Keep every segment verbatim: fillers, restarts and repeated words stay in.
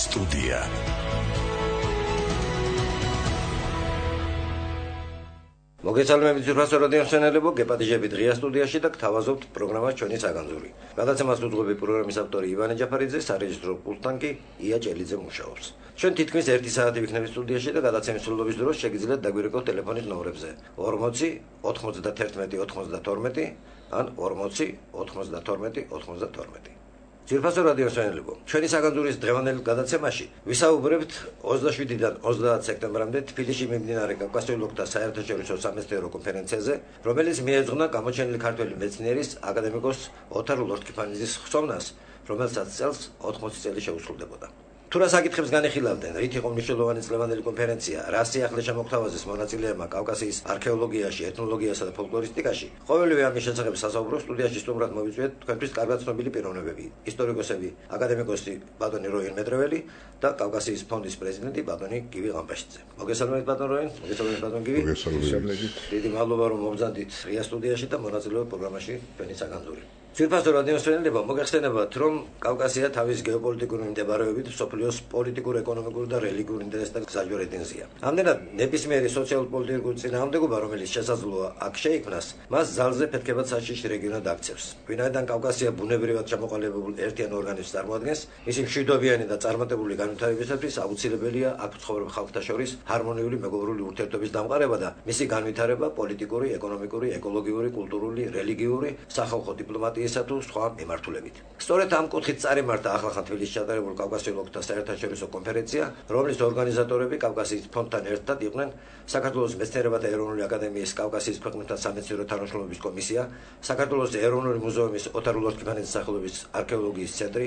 სტუდია. მოგესალმებით ძვირფასო რადიო მსმენელებო, გეპატიჟებით ღია სტუდიაში და გთავაზობთ პროგრამას ჩვენი საგანძური. გადაცემას უძღვები პროგრამის ავტორი ივანე ჯაფარიძე, სარეჟისორო პულტთან კი ია ჭელიძე მუშაობს. ჩვენ თითქმის ერთი საათი ვიქნებით სტუდიაში და გადაცემის სრულობის დროს შეგიძლიათ დაგვირეკოთ ტელეფონის ნომრებზე ორმოცი ოცდაათი ოცდათორმეტი ან ორმოცი ოცდათორმეტი ოცდათორმეტი. ძვირფასო რადიო მსმენელებო, ჩვენი საგანძურის დღევანდელ გადაცემაში ვისაუბრებთ ოცდაშვიდიდან ოცდაათ სექტემბრამდე თბილისში მიმდინარე კავკასიოლოგთა საერთაშორისო სამეცნიერო კონფერენციაზე, რომელიც მიეძღვნა გამოჩენილი ქართველი მეცნიერის აკადემიკოს ოთარ ლორთქიფანიძის ხსოვნას, რომელსაც წელს ოთხმოცი წელი შეუსრულდებოდა. თუ რა საკითხებს განიხილავდნენ, რით იყო მნიშვნელოვანი წლევანდელი კონფერენცია, რა სიახლე შემოგთავაზეს მონაწილეებმა კავკასიის არქეოლოგიაში, ეთნოლოგიასა და ფოლკლორისტიკაში, ყოველივე ამის შესახებ სასაუბრო სტუდიაში სტუმრად მოვიწვიეთ თქვენთვის კარგად ცნობილი პიროვნებები, ისტორიკოსები, აკადემიკოსი ბატონი როინ მეტრეველი და კავკასიის ფონდის პრეზიდენტი ბატონი გივი ღამბაშიძე. მოგესალმებით ბატონ როინ, მოგესალმებით ბატონ გივი. მოგესალმებით. დიდი მადლობა რომ მომზადდით ღია სტუდიაში და მონაწილეობთ პროგრამაში ჩვენი საგანძური. ძვირფასო რადიო მსმენელებო, მოგეხსენებათ, რომ კავკასია თავის გეოპოლიტიკური მიმდებარეობით მსოფლიოს პოლიტიკურ, ეკონომიკურ და რელიგიურ ინტერესთან გზაჯვარ ედინზია. ამდენად, ნებისმიერი სოციალურ-პოლიტიკური წინააღმდეგობა, რომელიც შესაძლოა აქ შეიქმნას, მას ძალზე ფეთქებად საშიში რეგიონად აქცევს. ვინაიდან კავკასია ბუნებრივად ჩამოყალიბებულ ერთიან ორგანიზმს წარმოადგენს, მისი მშვიდობიანი და წარმატებული განვითარებისათვის აუცილებელია აქ მცხოვრებ ხალხთა შორის ჰარმონიული მეგობრული ურთიერთობის დამყარება და მისი განვითარება პოლიტიკური, ეკონომიკური, ეკოლოგიური, კულტურული, რელიგიური, სახალხო დიპლომატიური თუ სხვა მიმართულებით. სწორედ ამ კუთხით წარიმართა ახლახან თბილისში ჩატარებულ კავკასიოლოგთა საერთაშორისო კონფერენცია, რომლის ორგანიზატორები კავკასიის ფონდთან ერთად იყვნენ საქართველოს მეცნიერებათა ეროვნული აკადემიის კავკასიის ქვეყნებთან სამეცნიერო თანამშრომლობის კომისია, საქართველოს ეროვნული მუზეუმის ოთარ ლორთქიფანიძის სახელობის არქეოლოგიის ცენტრი,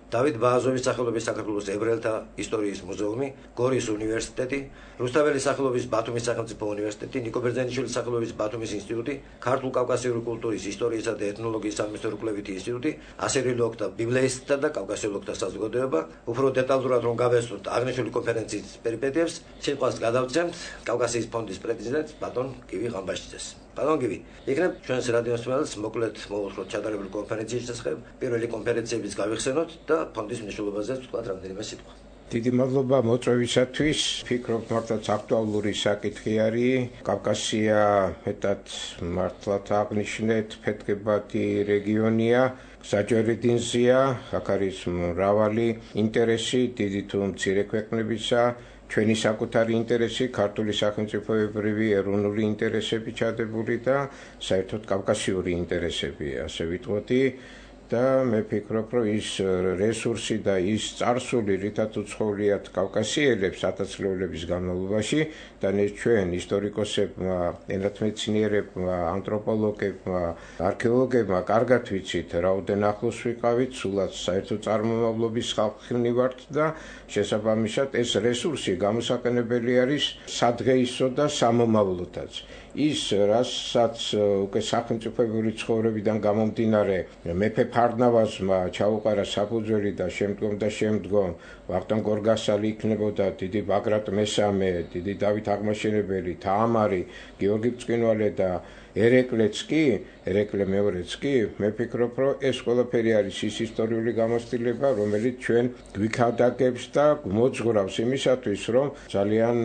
დავით ბააზოვის სახელობის საქართველოს ებრაელთა ისტორიის მუზეუმი, გორის უნივერსიტეტი, რუსთაველის სახელობის ბათუმის სახელმწიფო უნივერსიტეტი, ნიკო ბერძენიშვილის სახელობის ბათუმის ინსტიტუტი, ქართულ კავკასიური კულტურის, ისტორიისა და ეთნოლოგიის სამეცნიერო კვლევითი ინსტიტუტი, ასირიოლოგთა, ბიბლიისტთა და კავკასიოლოგთა საზოგადოება. უფრო დეტალურად რომ გავესწროთ აღნიშნული კონფერენციის პერიპეტიებს, სიტყვას გადავცემთ კავკასიის ფონდის პრეზიდენტს ბატონ გივი ღამბაშიძეს. ბატონ გივი, იქნებ ჩვენს რადიო მსმენელს მოკლედ მოვუხმოთ ჩატარებული კონფერენციის შესახებ, პირველი კონფერენციების გავიხსენოთ და ფონდის მნიშვნელობაზე ვთქვათ რამდენიმე სიტყვა. დიდი მადლობა მოწვევისათვის. ვფიქრობ, მართლაც აქტუალური საკითხი არის. კავკასია მეტად მართლაც აღნიშნეთ, ფეთქებადი რეგიონია, გზაჯვარი დინზია, აქ არის მრავალი ინტერესი, დიდი თუ მცირე ქვეყნებისა, ჩვენი საკუთარი ინტერესი, ქართული სახელმწიფოებრივი ეროვნული ინტერესები ჩადებული და საერთოდ კავკასიური ინტერესები, ასე ვიტყოდი. და მე ვფიქრობ, რომ ის რესურსი და ის წარსული, რითაც უცხოვრიათ კავკასიელებს ათასწლეულების განმავლობაში და ჩვენ ისტორიკოსებმა, ენათმეცნიერებმა, ანთროპოლოგებმა, არქეოლოგებმა კარგად ვიცით, რაოდენ ახლოს ვიყავით, სულაც საერთო წარმომავლობის ხალხი ვართ და შესაბამისად ეს რესურსი გამოსაყენებელი არის სადღეისო და სამომავლოდაც. ის, რასაც უკვე სახელმწიფოებრივი ცხოვრებიდან გამომდინარე მეფე ფარნავაზმა ჩაუყარა საფუძველი და შემდგომ და შემდგომ ვახტანგ გორგასალი იქნებოდა დიდი ბაგრატ მესამე, დიდი დავით აღმაშენებელი, თამარი, გიორგი ბრწყინვალე და ერეკლეც კი, ერეკლე მეორეც კი, მე ვფიქრობ, რომ ეს ყველაფერი არის ის ისტორიული გამოცდილება, რომელიც ჩვენ გვიქადაგებს და მოძღვრავს იმისათვის, რომ ძალიან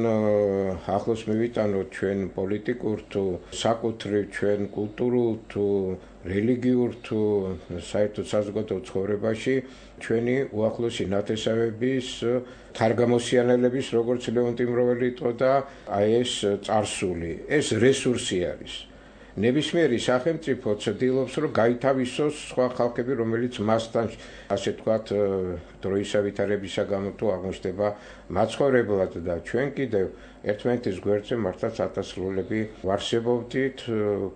ახლოს მივიტანოთ ჩვენ პოლიტიკურ თუ საკუთრივ ჩვენ კულტურულ თუ რელიგიურ თუ საერთოდ საზოგადო ცხოვრებაში ჩვენი უახლოესი ნათესავების თარგამოსიანელების, როგორც ლეონტი მროველი იტყოდა, აი ეს წარსული, ეს რესურსი არის. ნებისმიერი სახელმწიფო ცდილობს, რომ გაითავისოს სხვა ხალხები, რომელიც მასთან, ასე ვთქვათ, დროისა ვითარებისა გამო თუ აღმოჩნდება მაცხოვრებლად და ჩვენ კიდევ ერთმანეთის გვერდზე მართლაც ათასწლეულები ვარსებობდით,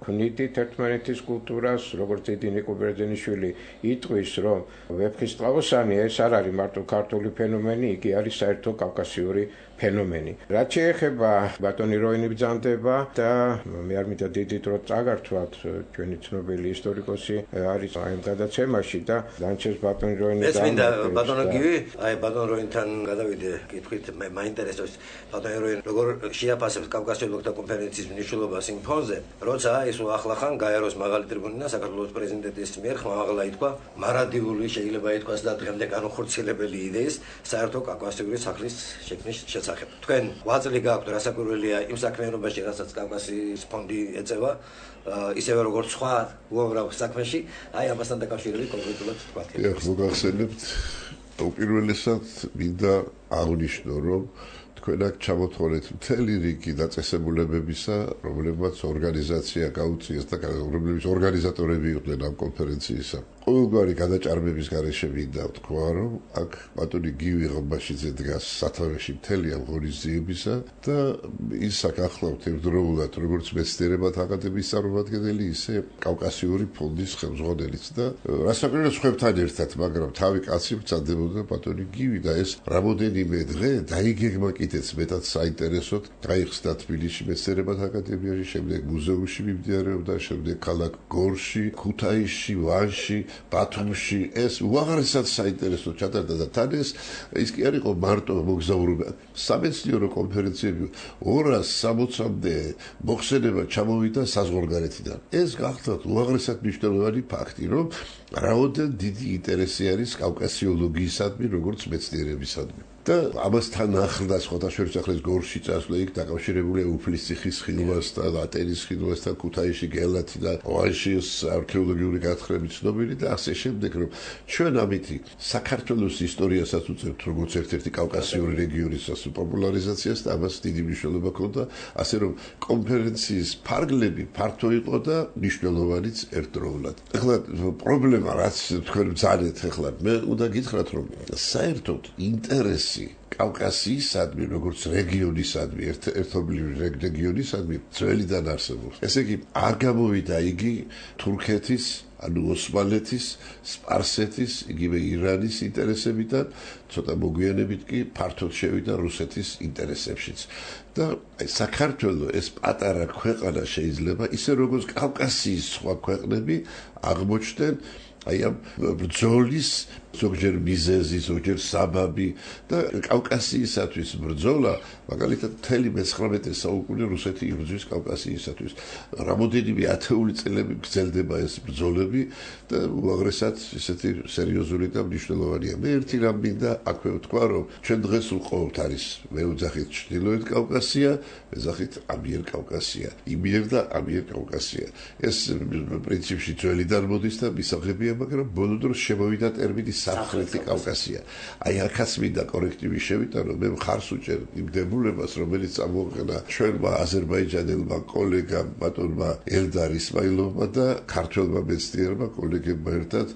ქმნიდით ერთმანეთის კულტურას, როგორც დიდი ნიკო ბერძენიშვილი იტყვის, რომ ვეფხისტყაოსანი ეს არ არის მარტო ქართული ფენომენი, იგი არის საერთო კავკასიური ფენომენი. რაც შეეხება ბატონი როინი ბრძანდება და მე არ მინდა დიდი დრო წაგართვათ, ჩვენი ცნობილი ისტორიკოსი არის ამ გადაცემაში და დანჩეს ბატონი როინი და ეს მინდა ბატონ ბატონო გივი, აი ბატონ როინთან გადავიდე კითხვით, მე მაინტერესებს ბატონ როინ როგორ შეაფასებს კავკასიურ ოლქთა კონფერენციის მნიშვნელობას იმ ფონზე, როცა ის უახლახან გაეროს მაღალი ტრიბუნიდან საქართველოს პრეზიდენტის მიერ ხმამაღლა ითქვა მარადიული შეიძლება ითქვას და დღემდე განუხორციელებელი იდეის საერთო კავკასიური სახლის შექმნის შესახებ. თქვენ ღვაწლი გაქვთ რასაკვირველია იმ საქმიანობაში, რასაც კავკასიის ფონდი ეწევა, ისევე როგორც სხვა უამრავ საქმეში, აი ამასთან დაკავშირებით კონკრეტულად თქვათ. ეხლა მოგახსენებთ, უპირველესად მინდა აღნიშნო, რომ თქვენ აქ ჩამოთვალეთ მთელი რიგი დაწესებულებებისა, რომლებმაც ორგანიზაცია გაუწიეს და რომლებიც ორგანიზატორები იყვნენ ამ კონფერენციისა. ყოველგვარი გადაჭარბების გარეშე მინდა ვთქვა, რომ აქ ბატონი გივი ღმბაშიძე დგას სათავეში მთელი ამ ღონისძიებისა და ის აქ ახლავთ ერთდროულად როგორც მეცნიერებათა აკადემიის წარმომადგენელი, ისე კავკასიური ფონდის ხელმძღვანელიც და რასაკვირველია სხვებთან ერთად, მაგრამ თავი კაცი ვწადებოდა ბატონი გივი და ეს რამოდენიმე დღე დაიგეგმა კიდეც მეტად საინტერესოდ გაიხსნა თბილისში მეცნიერებათა აკადემიაში, შემდეგ მუზეუმში მიმდინარეობდა, შემდეგ ქალაქ გორში, ქუთაისში, ვანში, ბათუმში, ეს უაღრესად საინტერესო ჩატარდა და თან ეს ის კი არ იყო მარტო მოგზაურობა. სამეცნიერო კონფერენციები ორას სამოცამდე მოხსენება ჩამოვიდა საზღვარგარეთიდან. ეს გახლავთ უაღრესად მნიშვნელოვანი ფაქტი, რომ რაოდენ დიდი ინტერესი არის კავკასიოლოგიისადმი, როგორც მეცნიერებისადმი. და ამასთან ახლდა სხვათა შორის ახლა გორში წასვლა იქ დაკავშირებულია უფლისციხის ხილვასთან, ატენის ხილვასთან, ქუთაისში გელათი და ვანში არქეოლოგიური გათხრებით ცნობილი და ასე შემდეგ, რომ ჩვენ ამითი საქართველოს ისტორიასაც უწევთ როგორც ერთ-ერთი კავკასიური რეგიონის პოპულარიზაციას და ამას დიდი მნიშვნელობა ჰქონდა, ასე რომ კონფერენციის ფარგლები ფართო იყო და მნიშვნელოვანიც ერთდროულად. ახლა პრობლემა რაც თქვენ ბრძანეთ ახლა მე უნდა გითხრათ, რომ საერთოდ ინტერესი კავკასიისადმი, როგორც რეგიონისადმი, ერთობლივი რეგიონისადმი ძველიდან არსებობს. ესე იგი, არ გამოვიდა იგი თურქეთის, ანუ ოსმალეთის, სპარსეთის, იგივე ირანის ინტერესებიდან, ცოტა მოგვიანებით კი ფართოდ შევიდა რუსეთის ინტერესებშიც. და საქართველოს ეს პატარა ქვეყანა შეიძლება, ისე როგორც კავკასიის სხვა ქვეყნები აღმოჩნდნენ აი ამ ბრძოლის ზოგჯერ მიზეზი, ზოგჯერ საბაბი და კავკასიისათვის ბრძოლა, მაგალითად მთელი მეცხრამეტე საუკუნე რუსეთი იბრძვის კავკასიისათვის. რამოდენიმე ათეული წლები გრძელდება ეს ბრძოლები და უაღრესად ისეთი სერიოზული და მნიშვნელოვანია. მე ერთი რამ მინდა აქვე ვთქვა, რომ ჩვენ დღეს ვყავთ არის მე ვძახით ჩრდილოეთ კავკასია, ვეძახით ამიერკავკასია, იმიერ და ამიერკავკასია. ეს პრინციპში ძველიდან მოდის და მისაღებია, მაგრამ ბოლო დროს შემოვიდა ტერმინი სამხრეთი კავკასია. აი აქაც მინდა კორექტივი შევიტანო, მე მხარს უჭერ იმ დებულებას, რომელიც წამოაყენა ჩვენმა აზერბაიჯანელმა კოლეგამ ბატონმა ელდარ ისმაილოვმა და ქართველმა მეცნიერმა კოლეგებმა ერთად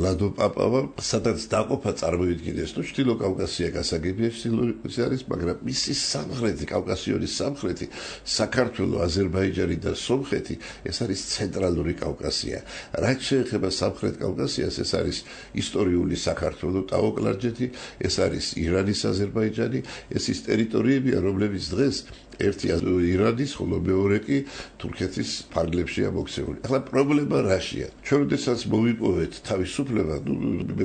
ლადო პაპავამ, სადაც დაყოფა წარმოიდგინეს. ნუ ჩრდილო კავკასია გასაგებია ჩრდილოეთში არის, მაგრამ მისი სამხრეთი კავკასიონის სამხრეთი საქართველო, აზერბაიჯანი და სომხეთი ეს არის ცენტრალური კავკასია. რაც შეეხება სამხრეთ კავკასიას, ეს არის ისტორიული საქართველოს ტაო-კლარჯეთი, ეს არის ირანის აზერბაიჯანი, ეს ის ტერიტორიებია, რომლებიც დღეს ერთი ირანის, ხოლო მეორე კი თურქეთის ფარგლებშია მოქცეული. ახლა პრობლემა რაშია? ჩვენ როდესაც მოვიპოვეთ თავისუფლება, ნუ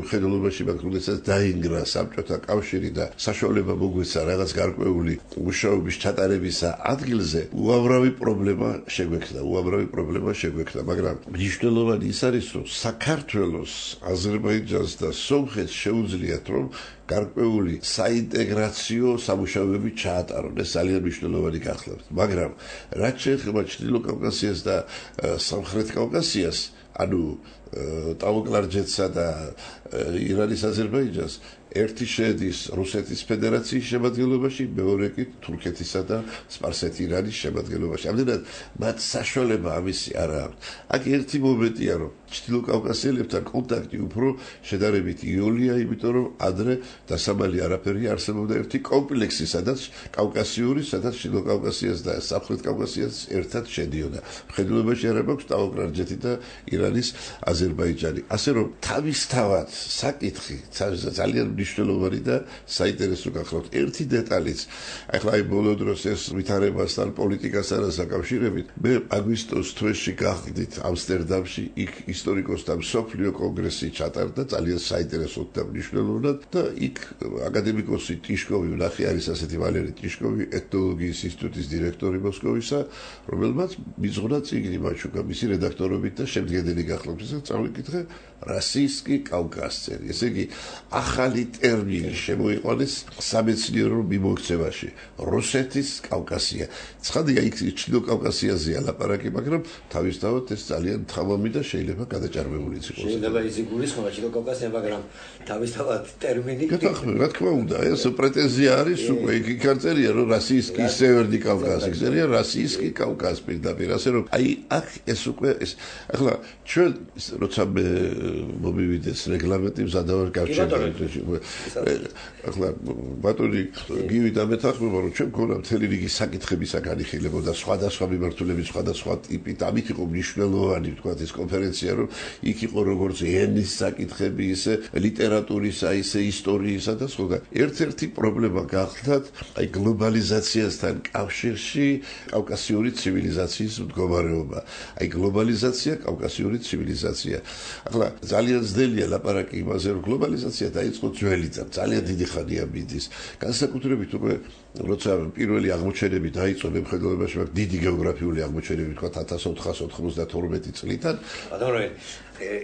მხედველობაში მაგ როდესაც დაინგრა საბჭოთა კავშირი და საშუალება მოგვეცა რაღაც გარკვეული მუშაობის ჩატარებისა ადგილზე, უამრავი პრობლემა შეგვექნა, უამრავი პრობლემა შეგვექნა, მაგრამ მნიშვნელოვანი ის არის, რომ საქართველოს, აზერბაიჯანს და სომხეთს შეუძლიათ, რომ გარკვეული საინტეგრაციო სამუშაოები ჩაატარონ. ეს ძალიან მნიშვნელოვანი გახლავთ. მაგრამ რაც შეეხება ჩრდილო კავკასიას და სამხრეთ კავკასიას, ანუ ტაო-კლარჯეთსა და ირანის აზერბაიჯანს, ერთი შედის რუსეთის ფედერაციის შემადგენლობაში, მეორე კი თურქეთისა და სპარსეთ-ირანის შემადგენლობაში. ამდენად მათ საშუალება ამისი არ აქვს. აქ ერთი მომენტია, რომ ჩრდილო კავკასიელებთან კონტაქტი უფრო შედარებით იოლია, იმიტომ რომ ადრე დასამალი არაფერი არსებობდა ერთი კომპლექსი, სადაც კავკასიური, სადაც ჩრდილო კავკასიას და სამხრეთ კავკასიას ერთად შედიოდა. მხედველობაში არ აქვს ტაო-კლარჯეთი და ირანის აზერბაიჯანი. ასე რომ თავისთავად საკითხი ძალიან მნიშვნელოვანი და საინტერესო გახლავთ. ერთი დეტალიც, ახლა აი ბოლო დროს ეს ვითარებასთან პოლიტიკასთან დაკავშირებით, მე აგვისტოს თვეში გახდით ამსტერდამში, იქ ისტორიკოსთა მსოფლიო კონგრესი ჩატარდა ძალიან საინტერესოდ და მნიშვნელოვნად და იქ აკადემიკოსი ტიშკოვი ვნახე არის ასეთი ვალერი ტიშკოვი ეთნოლოგიის ინსტიტუტის დირექტორი მოსკოვისა რომელმაც მიზღვრა წიგნი მაჩუკა მისი რედაქტორობით და შემდგენელი გახლავთ ისე წავიკითხე რასისტი კავკასიელი ესე იგი ახალი ტერმინი შემოიყვანეს სამეცნიერო მიმოქცევაში რუსეთის კავკასია ცხადია იქ ჩრდილო კავკასიაზეა ლაპარაკი მაგრამ თავისთავად ეს ძალიან თხამამი და შეიძლება გადაჭარბებულიც იყოს შეიძლება ის იგულისხმება ჩრდილო კავკასია მაგრამ თავისთავად ტერმინი გეთახმები რა თქმა უნდა ეს პრეტენზია არის უკვე იქ იქ წერია რომ რასისტი სევერნი კავკასი წერია რასისტი კავკასი პირდაპირ ასე რომ აი აქ ეს უკვე ეს ახლა ჩვენ როცა მე მომივიდეს რეგლამენტი მზადავარ გავჩერდები ახლა ბატონი გივი და მეთახმება რომ ჩვენ გქონდა მთელი რიგი საკითხებისა განიხილებოდა სხვადასხვა მიმართულების სხვადასხვა ტიპით ამით იყო მნიშვნელოვანი თქვა ეს კონფერენცია რომ იქ იყო როგორც ენის საკითხები ისე ლიტერატურისა ისე ისტორიისა და სხვა ერთ-ერთი პრობლემა გახლდათ აი გლობალიზაციასთან კავშირში კავკასიური ცივილიზაციის მდგომარეობა აი გლობალიზაცია კავკასიური ცივილიზაცია ახლა ძალიან ძნელია ლაპარაკი იმაზე რომ გლობალიზაცია დაიწყო ძველი და ძალიან დიდი ხანია მიდის განსაკუთრებით უკვე როცა პირველი აღმოჩენები დაიწყო მემხედველობაში მაგ დიდი გეოგრაფიული აღმოჩენები თქვა ათას ოთხას ოცდათორმეტი წლიდან ბატონო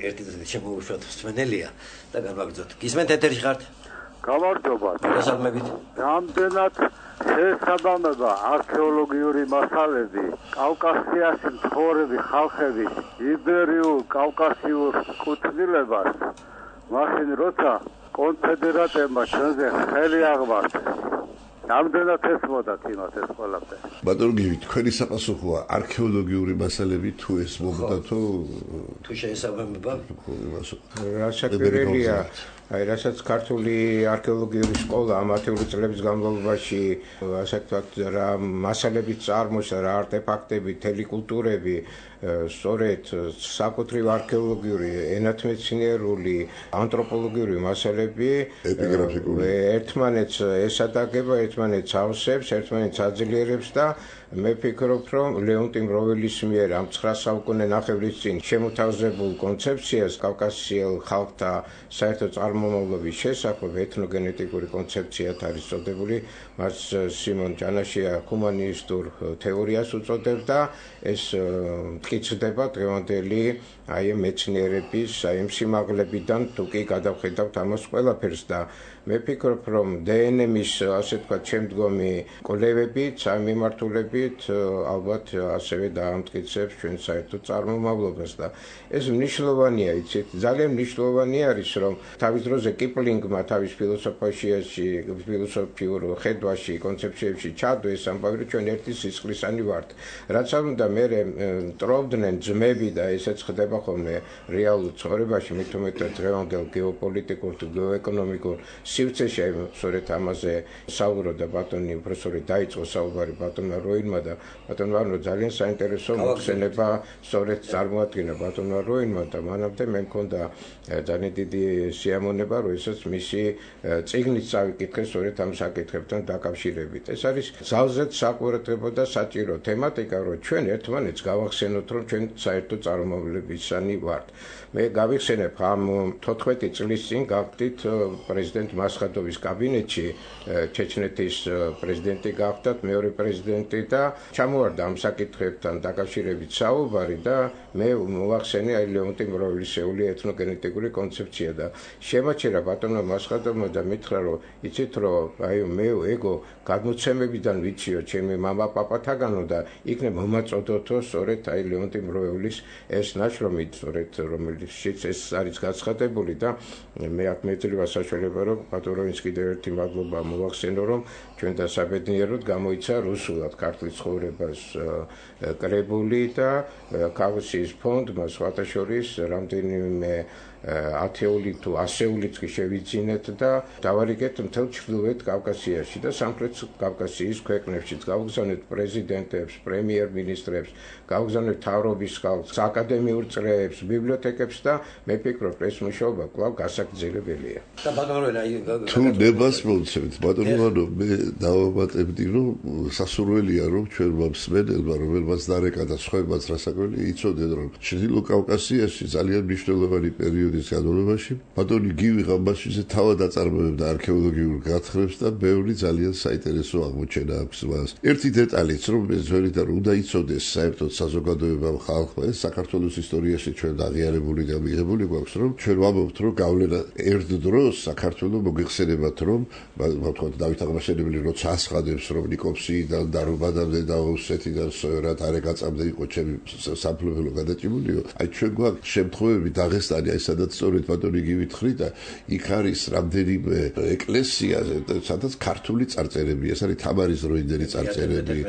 ერთი წელი შემოვუშვათ მსმენელია და გამაგრძოთ გისმენთ ეთერში ხართ გამარჯობა გასაგმებით რამდენად შესაბამება არქეოლოგიური მასალები კავკასიაში მცხოვრები ხალხების იბერიულ კავკასიურ კუთვნილებას მაშინ როცა კონფედერატებმა ჩვენზე ხელი აღმართეს რამდენად ესმოდათ იმას ეს ყველაფერი ბატონო გივი თქვენი საპასუხოა არქეოლოგიური მასალები თუ ესმოდა თუ თუ შეესაბამება რა შეკრებილია აი რასაც ქართული არქეოლოგიური სკოლა ამათეული წლების განმავლობაში ასე ვთქვათ რა მასალებით წარმოშა რა არტეფაქტები თელი კულტურები სწორედ საკუთრივ არქეოლოგიური ენათმეცნიერული ანთროპოლოგიური მასალები ერთმანეთს ესადაგება ერთმანეთს ავსებს ერთმანეთს აძლიერებს და მე ფიქრობ რომ ლეონტი მროველის მიერ ამ ცხრა საუკუნე ნახევრის წინ შემოთავაზებულ კონცეფციას კავკასიელ ხალხთა საერთო წარმომავლობის შესახებ ეთნოგენეტიკური კონცეფციად არის წოდებული მას სიმონ ჯანაშია ჰუმანისტურ თეორიას უწოდებდა ეს მტკიცდება დღევანდელი აი მეცნიერების აი სიმაღლებიდან თუ კი გადავხედავთ ამას ყველაფერს და მე ფიქრობ რომ დე ენ ემ-ის ასე ვთქვათ შემდგომი კვლევებიც ამ მიმართულებით ალბათ ასევე დაამტკიცებს ჩვენ საერთო წარმომავლობას და ეს მნიშვნელოვანია იცით ძალიან მნიშვნელოვანი არის რომ თავის დროზე კიპლინგმა თავის ფილოსოფიაში ფილოსოფიურ ხედვაში კონცეფციებში ჩადოს ამბავი ჩვენ ერთი სისხლისანი ვართ რაც არ უნდა მე მტრობდნენ ძმები და ესეც ხდება ხოლმე რეალურ ცხოვრებაში მე თუმეტად დღევანდელ გეოპოლიტიკურ თუ გეოეკონომიკურ სივრცეში სწორედ ამაზე საუბრობდა ბატონი პროფესორი დაიწყო საუბარი ბატონმა როინმა და ბატონმა როინმა ძალიან საინტერესო მოხსენება სწორედ წარმოადგინა ბატონმა როინმა და მანამდე მე მქონდა ძალიან დიდი სიამონება რომ ესაც მისი წიგნით წავიკითხე სწორედ ამ საკითხებთან დაკავშირებით ეს არის ძალზედ საყურადღებო და საჭირო თემატიკა რომ ჩვენ ერთმანეთს გავახსენოთ რომ ჩვენ საერთო წარმომავლებისანი ვართ მე გავიხსენებ ამ თოთხმეტი წლის წინ გავხდით პრეზიდენტ მასხადოვის კაბინეტში ჩეჩნეთის პრეზიდენტი გახდათ მეორე პრეზიდენტი და ჩამოვარდა ამ საკითხებთან დაკავშირებით საუბარი და მე მოვახსენე აი ლეონტი მროველისეული ეთნოგენეტიკური კონცეფცია და შემაჩერა ბატონმა მასხადოვმა და მითხრა რომ იცით რომ აი მე ეგო გადმოცემებიდან ვიციო ჩემი მამა პაპათაგანო და იქნებ მომაწოდოთო სწორედ აი ლეონტი მროველის ეს ნაშრომი სწორედ რომელშიც ეს არის გაცხადებული და მე აქ მეძლევა საშუალება რომ ბატონოვის კიდევ ერთი მადლობა მოვახსენო რომ ჩვენ დასაბედნიეროდ გამოიცა რუსულად ქართლის ცხოვრებას კრებული და კავკასიის ფონდმა სხვათა შორის რამდენიმე ათეული თუ ასეულიც კი შევიძინეთ და დავარიგეთ მთელ ჩრდილოეთ კავკასიაში და სამხრეთ კავკასიის ქვეყნებშიც გავგზავნეთ პრეზიდენტებს, პრემიერ-მინისტრებს, გავგზავნეთ მთავრობის ხალხს, აკადემიურ წრეებს, ბიბლიოთეკებს და მე ვფიქრობ, ეს მუშაობა კვლავ გასაგრძელებელია. და ბატონო თუ ნებას მოვცემთ, ბატონო, მე დავამატებდი, რომ სასურველია, რომ ჩვენმა მსმენელმა, რომელმაც დარეკა და სხვებმაც რასაკვირველია, იცოდნენ, რომ ჩრდილო კავკასიაში ძალიან მნიშვნელოვანი პერიოდის განმავლობაში ბატონი გივი ღამბაშიძე თავად აწარმოებდა არქეოლოგიურ გათხრებს და ბევრი ძალიან საინტერესო აღმოჩენა აქვს მას. ერთი დეტალიც, რომ მე ძველიდან უნდა იცოდეს საერთოდ საზოგადოებამ ხალხმა, ეს საქართველოს ისტორიაში ჩვენ აღიარებული და მიღებული გვაქვს, რომ ჩვენ ვამბობთ, რომ გავლენა ერთ დროს საქართველოს მოგეხსენებათ, რომ ვთქვათ დავით აღმაშენებელი როცა ასხადებს, რომ ნიკოპსიიდან და რუბადამდე და ოსეთიდან სოერად არეგაწამდე იყო ჩემი სამფლობელო გადაჭიმულიო. აი ჩვენ გვაქვს შემთხვევები დაღესტანი, აი სადაც სწორედ ბატონი გივითხრი და იქ არის რამდენიმე ეკლესია, სადაც ქართული წარწერებია, ეს არის თამარის დროინდელი წარწერები.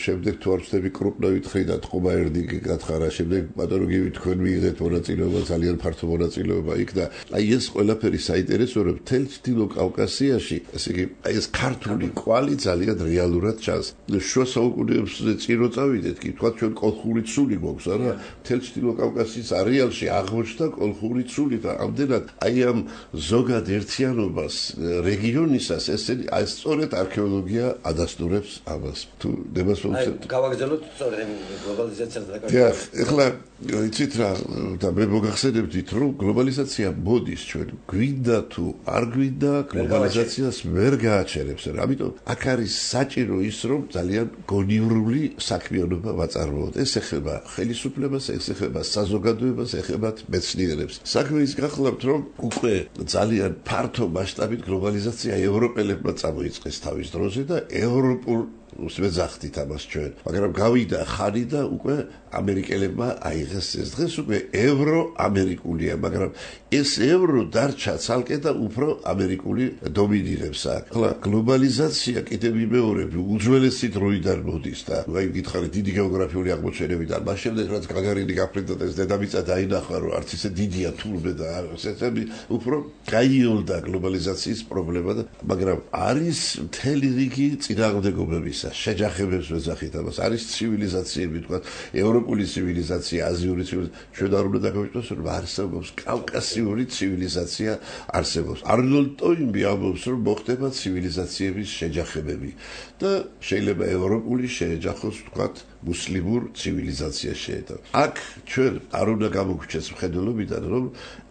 შემდეგ თუ არ ვცდები კრუპნოვითხრი და ტყუმა-ერდიკი გათხარა, შემდეგ ბატონო გივი თქვენ მიიღეთ მონაწილეობა, ძალიან ფართო მონაწილეობა იქ და აი ეს ყველაფერი საინტერესო, რომ მთელ ჩრდილო კავკასიაში, ესე იგი, აი ეს ქართული კვალი ძალიან რეალურად ჩანს. შუა საუკუნეებზე წირო წავიდეთ, კი თქვა ჩვენ კოლხური ცული გვაქვს, არა? მთელ ჩრდილო კავკასიის არეალში აღმოჩნდა კოლხური ცული და ამდენად აი ამ ზოგად ერთიანობას რეგიონისას ესენი აი სწორედ არქეოლოგია ადასტურებს ამას. თუ ნებას მოვცემთ. გავაგზავნოთ სწორედ გლობალიზაციას და დიახ, ეხლა იცით რა და მე მოგახსენებდით, რომ გლობალიზაცია მოდის ჩვენ გვინდა თუ არ გვინდა გლობალიზაციას ვერ გააჩერებს. ამიტომ აქ არის საჭირო ის, რომ ძალიან გონივრული საქმიანობა ვაწარმოოთ. ეს ეხება ხელისუფლებას, ეს ეხება საზოგადოებას, ეხება მეცნიერებს. საქმე ის გახლავთ, რომ უკვე ძალიან ფართო მასშტაბით გლობალიზაცია ევროპელებმა წამოიწყეს თავის დროზე და ევროპულ ვეძახდით ამას ჩვენ, მაგრამ გავიდა ხანი და უკვე ამერიკელებმა აიღეს ეს დღეს უკვე ევრო-ამერიკულია, მაგრამ ეს ევრო დარჩა ცალკე და უფრო ამერიკული დომინირებს აქ. ახლა გლობალიზაცია კიდევ იმეორებ უძველესი დროიდან მოდის და აი გითხარით დიდი გეოგრაფიული აღმოჩენებიდან, მას შემდეგ რაც გაგარინი გაფრინდა და ეს დედამიწა დაინახა, რომ არც ისე დიდია თურმე და ესეთი უფრო გაიოლდა გლობალიზაციის პრობლემა და მაგრამ არის მთელი რიგი წინააღმდეგობების შეჯახებებს ვეძახით ამას არის ცივილიზაციები თქვა ევროპული ცივილიზაცია აზიური ცივილიზაცია ჩვენ არ უნდა დაგავიწყოს რომ არსებობს კავკასიური ცივილიზაცია არსებობს არნოლდ ტოინბი ამბობს რომ მოხდება ცივილიზაციების შეჯახებები და შეიძლება ევროპული შეეჯახოს თქვა მუსლიმურ ცივილიზაციას შეედა აქ ჩვენ არ უნდა გამოგვჩეს მხედველობიდან რომ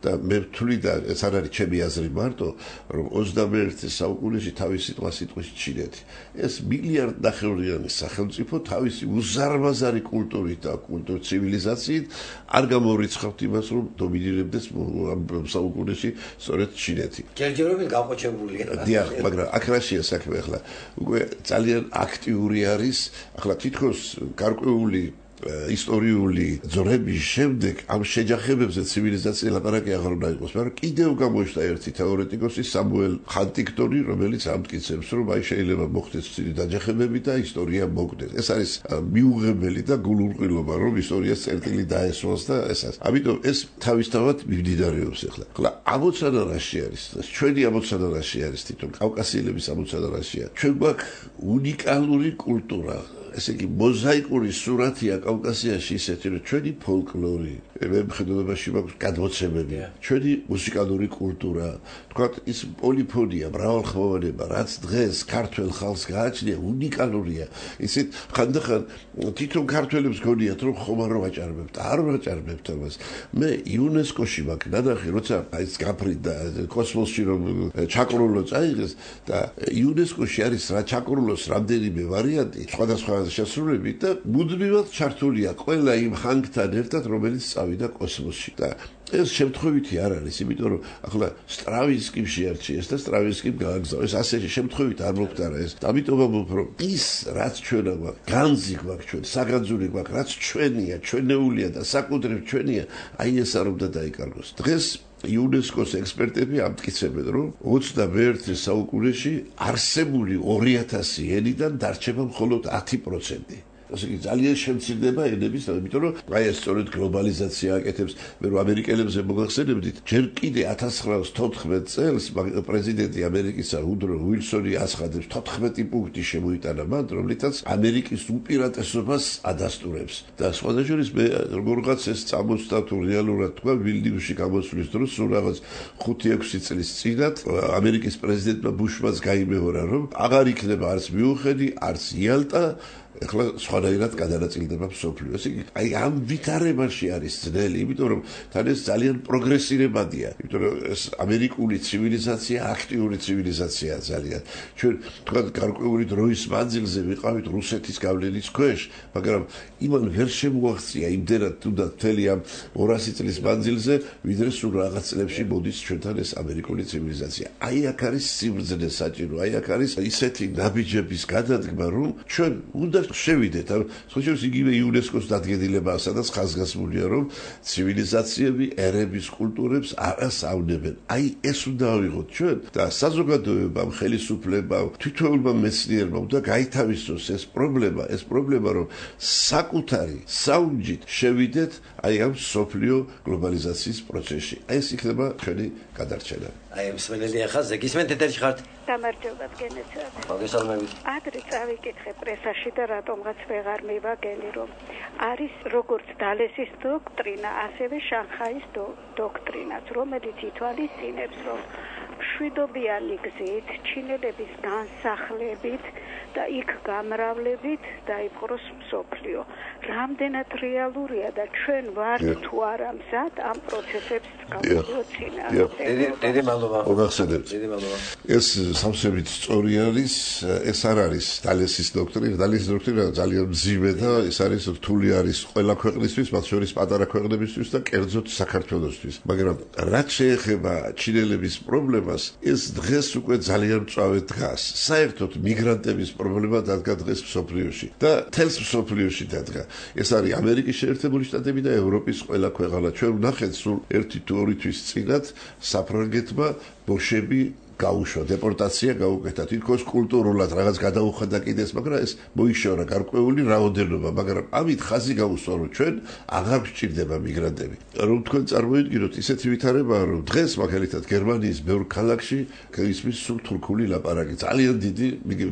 და მე ვთვლი და ეს არ არის ჩემი აზრი მარტო რომ ოცდამეერთე საუკუნეში თავისი სიტყვა სიტყვის ჩინეთი ეს მილიარდ ნახევრიანი სახელმწიფო თავისი უზარმაზარი კულტურით და კულტურ ცივილიზაციით არ გამორიცხავთ იმას რომ დომინირებდეს ამ საუკუნეში სწორედ ჩინეთი ჯერჯერობით გაყოჩებულია დიახ მაგრამ აქ რაშია საქმე ახლა უკვე ძალიან აქტიური არის ახლა თითქოს გარკვეული ისტორიული ძრების შემდეგ ამ შეჯახებებზე ცივილიზაცია ლაპარაკი აღარ უნდა იყოს, მაგრამ კიდევ გამოჩნდა ერთი თეორეტიკოსი სამუელ ჰანტინგტონი, რომელიც ამტკიცებს, რომ აი შეიძლება მოხდეს ცივი დაჯახებები და ისტორია მოგდეს. ეს არის მიუღებელი და გულურყილობა, რომ ისტორიას წერტილი დაესვას და ესას. ამიტომ ეს თავისთავად მიმდინარეობს ახლა. ახლა ამოცანა რაში არის? ჩვენი ამოცანა რაში არის თვითონ კავკასიელების ამოცანა რაშია? ჩვენ გვაქვს უნიკალური კულტურა. ესე იგი მოზაიკური სურათია კავკასიაში ისეთი რომ ჩვენი ფოლკლორი, მემხედველობაში მაქვს გადმოცემები, ჩვენი მუსიკალური კულტურა, თქვათ ის პოლიფონია, მრავალხმოვანება, რაც დღეს ქართველ ხალხს გააჩნია, უნიკალურია. ისეთ ხანდახან თვითონ ქართველებს გონიათ რომ ხომ არ ვაჭარბებთ, არ ვაჭარბებთ ამას. მე იუნესკოში მაქვს ნანახი, როცა აი ეს გაფრინდა კოსმოსში რომ ჩაკრულო წაიღეს და იუნესკოში არის რა ჩაკრულოს რამდენიმე ვარიანტი, სხვადასხვა შესრულებით და მუდმივად ჩართულია ყველა იმ ხანგთან ერთად რომელიც წავიდა კოსმოსში და ეს შემთხვევითი არ არის იმიტომ რომ ახლა სტრავინსკიმ შეარჩიეს და სტრავინსკიმ გააგზავნეს ასე შემთხვევით არ მოხდარა ეს ამიტომ ვამბობ რომ ის რაც ჩვენ გვაქვს განძი გვაქვს ჩვენ საგანძური გვაქვს რაც ჩვენია ჩვენეულია და საკუთრებ ჩვენია აი ეს არ უნდა დაიკარგოს დღეს იუნესკოს ექსპერტები ამტკიცებენ რომ ოცდამეერთე საუკუნეში არსებული ორი ათასი ენიდან დარჩება მხოლოდ ათი პროცენტი ასე იგი ძალიან შემცირდება ენების, იმიტომ რომ აი ეს სწორედ გლობალიზაცია აკეთებს, მე რომ ამერიკელებზე მოგახსენებდით, ჯერ კიდე ათას ცხრაას თოთხმეტ წელს პრეზიდენტი ამერიკისა უდრო უილსონი აცხადებს თოთხმეტი პუნქტი შემოიტანა მან, რომლითაც ამერიკის უპირატესობას ადასტურებს. და სხვადასხვა მე როგორღაც ეს წამოსდა თუ რეალურად თქვა ვილნიუსში გამოსვლის დროს სულ რაღაც ხუთი ექვსი წლის წინათ ამერიკის პრეზიდენტმა ბუშმაც გაიმეორა, რომ აღარ იქნება არც მიუხედი, არც იალტა ეხლა სხვანაირად გადანაწილდება მსოფლიო. ესე იგი, აი ამ ვითარებაში არის ძნელი, იმიტომ რომ თან ეს ძალიან პროგრესირებადია, იმიტომ რომ ეს ამერიკული ცივილიზაცია აქტიური ცივილიზაციაა ძალიან. ჩვენ თქვა გარკვეული დროის მანძილზე ვიყავით რუსეთის გავლენის ქვეშ, მაგრამ იმან ვერ შემოაღწია იმდენად თუნდაც მთელი ამ ორასი წლის მანძილზე, ვიდრე სულ რაღაც წლებში მოდის ჩვენთან ეს ამერიკული ცივილიზაცია. აი აქ არის სიბრძნე საჭირო, აი აქ არის ისეთი ნაბიჯების გადადგმა, რომ ჩვენ უნდა შევიდეთ, ამ случаев იგივე იუნესკოს დადგენილება, სადაც ხაზგასმულია, რომ ცივილიზაციები ერების კულტურებს არ ასწავლებს. აი ეს უნდა ავიღოთ ჩვენ და საზოგადოებამ, ხელისუფლებამ, თვითონმა მეცნიერებმა უნდა გაითავისოს ეს პრობლემა, ეს პრობლემა, რომ საკუთარი საუნჯით შევიდეთ აი ამ სოფლიო გლობალიზაციის პროცესში. აი ეს იქნება ჩვენი გადარჩენა. აი მსმენელი ახლა ზეგისმენთ ეთერში ხართ? გამარჯობა გენეცად. მოგესალმებით. ადრე წავიკითხე პრესაში და რატომღაც ვეღარ მივაგენი, რომ არის როგორც დალესის დოქტრინა, ასევე შანხაის დოქტრინაც, რომელიც ითვალისწინებს, რომ მშვიდობიანი გზით, ჩინელების განსახლებით და იქ გამრავლებით დაიპყროს მსოფლიო. რამდენად რეალურია და ჩვენ ვართ თუ არა მზად ამ პროცესებს გავუძინა. დიდი მადლობა. მოგახსენებთ. დიდი მადლობა. ეს სამსებით სწორი არის, ეს არ არის დალესის დოქტრინა, დალესის დოქტრინა ძალიან მძიმე და ეს არის რთული არის ყველა ქვეყნისთვის, მათ შორის პატარა ქვეყნებისთვის და კერძოდ საქართველოსთვის. მაგრამ რაც შეეხება ჩინელების პრობლემას, ეს დღეს უკვე ძალიან მწვავედ დგას. საერთოდ მიგრანტების პრობლემა დადგა დღეს მსოფლიოში და თელს მსოფლიოში დადგა. ეს არის ამერიკის შეერთებული შტატები და ევროპის ყველა ქვეყანა. ჩვენ ვნახეთ სულ ერთი თუ ორი თვის წინათ საფრანგეთმა ბოშები გაუშვა, დეპორტაცია გაუკეთა, თითქოს კულტურულად რაღაც გადაუხადა კიდეს, მაგრამ ეს მოიშორა გარკვეული რაოდენობა, მაგრამ ამით ხაზი გაუსვა, რომ ჩვენ აღარ გვჭირდება მიგრანტები. რომ თქვენ წარმოიდგინოთ, ისეთი ვითარებაა, რომ დღეს მაგალითად გერმანიის ბევრ ქალაქში ისმის სულ თურქული ლაპარაკი, ძალიან დიდი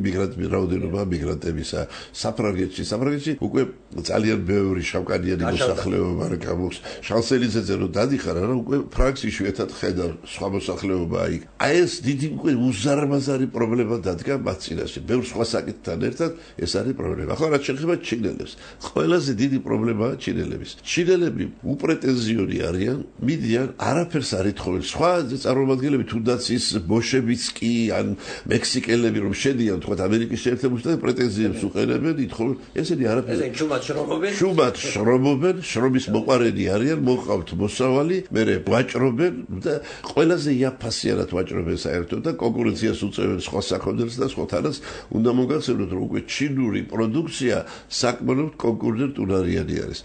მიგრანტების რაოდენობა მიგრანტებისა. საფრანგეთში, საფრანგეთში უკვე ძალიან ბევრი შავკანიანი მოსახლეობა გამოქვს. შანსელიძეზე რომ დადიხარ, რა უკვე ფრანგს იშვიათად ხედავ სხვა მოსახლეობა იქ. აი ეს დიდი უკვე უზარმაზარი პრობლემა დადგა მათ წინაშე. ბევრ სხვა საკითხთან ერთად ეს არის პრობლემა. ახლა რაც შეეხება ჩინელებს, ყველაზე დიდი პრობლემაა ჩინელების. ჩინელები უპრეტენზიონი არიან, მიდიან, არაფერს არ ითხოვენ. სხვა წარმომადგენლები თუნდაც ის ბოშებიც კი ან მექსიკელები რომ შედიან, თქვა ამერიკის შეერთებული შტატებში პრეტენზიებს უყენებენ, ითხოვენ, ესენი არაფერს. ესენი შუმად შრომობენ. შუმად შრომობენ, შრომის მოყარენი არიან, მოყავთ მოსავალი, მერე ვაჭრობენ და ყველაზე იაფასიანად ვაჭრობენ საერთოდ და კონკურენციას უწევენ სხვა საქონელს და სხვათანაც უნდა მოგახსენოთ, რომ უკვე ჩინური პროდუქცია საკმაოდ კონკურენტუნარიანი არის.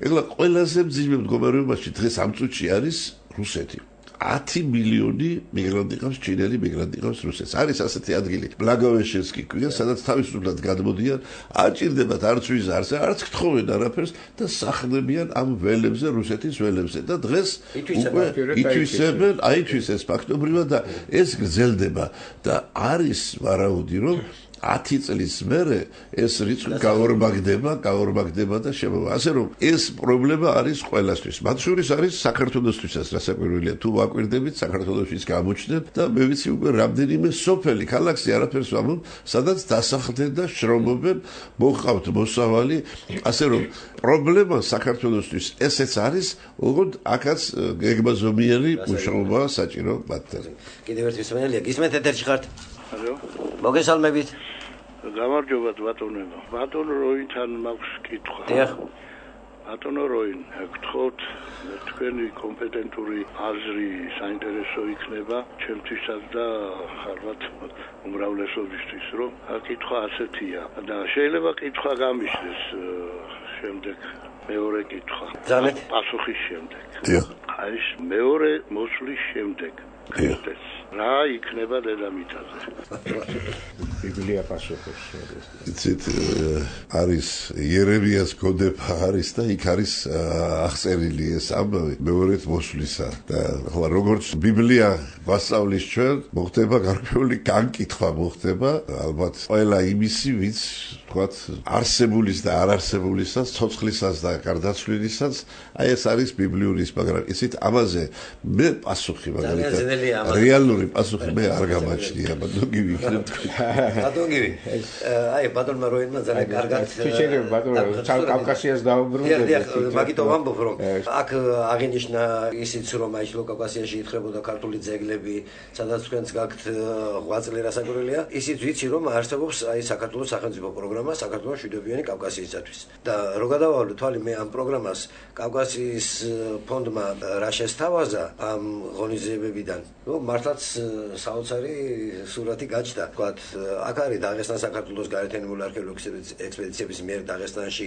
ეხლა ყველაზე მძიმე მდგომარეობაში დღეს ამ წუთში არის რუსეთი. ათი მილიონი მიგრანტი ყავს, ჩინელი მიგრანტი ყავს რუსეთს. არის ასეთი ადგილი, ბლაგოვეშენსკი ქვია, სადაც თავისუფლად გადმოდიან, არ ჭირდებათ არც ვიზა, არც გთხოვენ არაფერს და სახლდებიან ამ ველებზე, რუსეთის ველებზე და დღეს უკვე ითვისებენ, აითვისეს ფაქტობრივად და ეს გრძელდება და არის ვარაუდი, რომ ათი წლის მერე ეს რიცხვი გაორმაგდება, გაორმაგდება და შემოვა. ასე რომ ეს პრობლემა არის ყველასთვის. მათ შორის არის საქართველოსთვისაც, რასაკვირველია, თუ ვაკვირდებით, საქართველოსთვის გამოჩნდნენ და მე ვიცი უკვე რამდენიმე სოფელი, ქალაქში არაფერს ვამბობ, სადაც დასახლდნენ და შრომობენ, მოყავთ მოსავალი. ასე რომ პრობლემა საქართველოსთვის ესეც არის, ოღონდ აქაც გეგმაზომიერი მუშაობაა საჭირო მათთან. კიდევ ერთი მსმენელია, გისმენთ ეთერში ხართ? ალო. მოგესალმებით. გამარჯობა ბატონო. ბატონო როინთან მაქვს კითხვა. დიახ. ბატონო როინ, გთხოვთ თქვენი კომპეტენტური აზრი საინტერესო იქნება ჩემთვისაც და ხარბათ უმრავლესობისთვის, რომ კითხვა ასეთია და შეიძლება კითხვა გამიშდეს შემდეგ მეორე კითხვა. ძალიან პასუხის შემდეგ. დიახ. აი მეორე მოსვლის შემდეგ. დიახ. რა იქნება დედამიწაზე. ბიბლია პასუხობს. იცით, არის იერემიას გოდება არის და იქ არის აღწერილი ეს ამბავი მეორედ მოსვლისა და ახლა როგორც ბიბლია გვასწავლის ჩვენ, მოხდება გარკვეული განკითხვა მოხდება, ალბათ ყველა იმისი, ვინც თქვათ არსებულის და არ არსებულისას, ცოცხლისას და გარდაცვლილისას, აი ეს არის ბიბლიური, მაგრამ იცით, ამაზე მე პასუხი მაგალითად რეალური პასუხი მე არ გამაჩნია, ბატონო გივი იქნებ თქვი. ბატონო გივი. აი ბატონმა როინმა ძალიან კარგად შეიძლება ბატონო კავკასიას დაუბრუნდეთ. მაგიტომ ვამბობ რომ აქ აღინიშნა ისიც რომ აი კავკასიაში ითხრებოდა ქართული ძეგლები, სადაც თქვენც გაქვთ ღვაწლი რასაკვირველია, ისიც ვიცი რომ არსებობს აი საქართველოს სახელმწიფო პროგრამა საქართველოს მშვიდობიანი კავკასიისათვის. და რო გადავალო თვალი მე ამ პროგრამას კავკასიის ფონდმა რა შესთავაზა ამ ღონისძიებებიდან, ну მართლაც საოცარი სურათი გაჩნდა. თქვათ აქ არის დაღესტან საქართველოს გარეთენებული არქეოლოგიური ექსპედიციების მიერ დაღესტანში,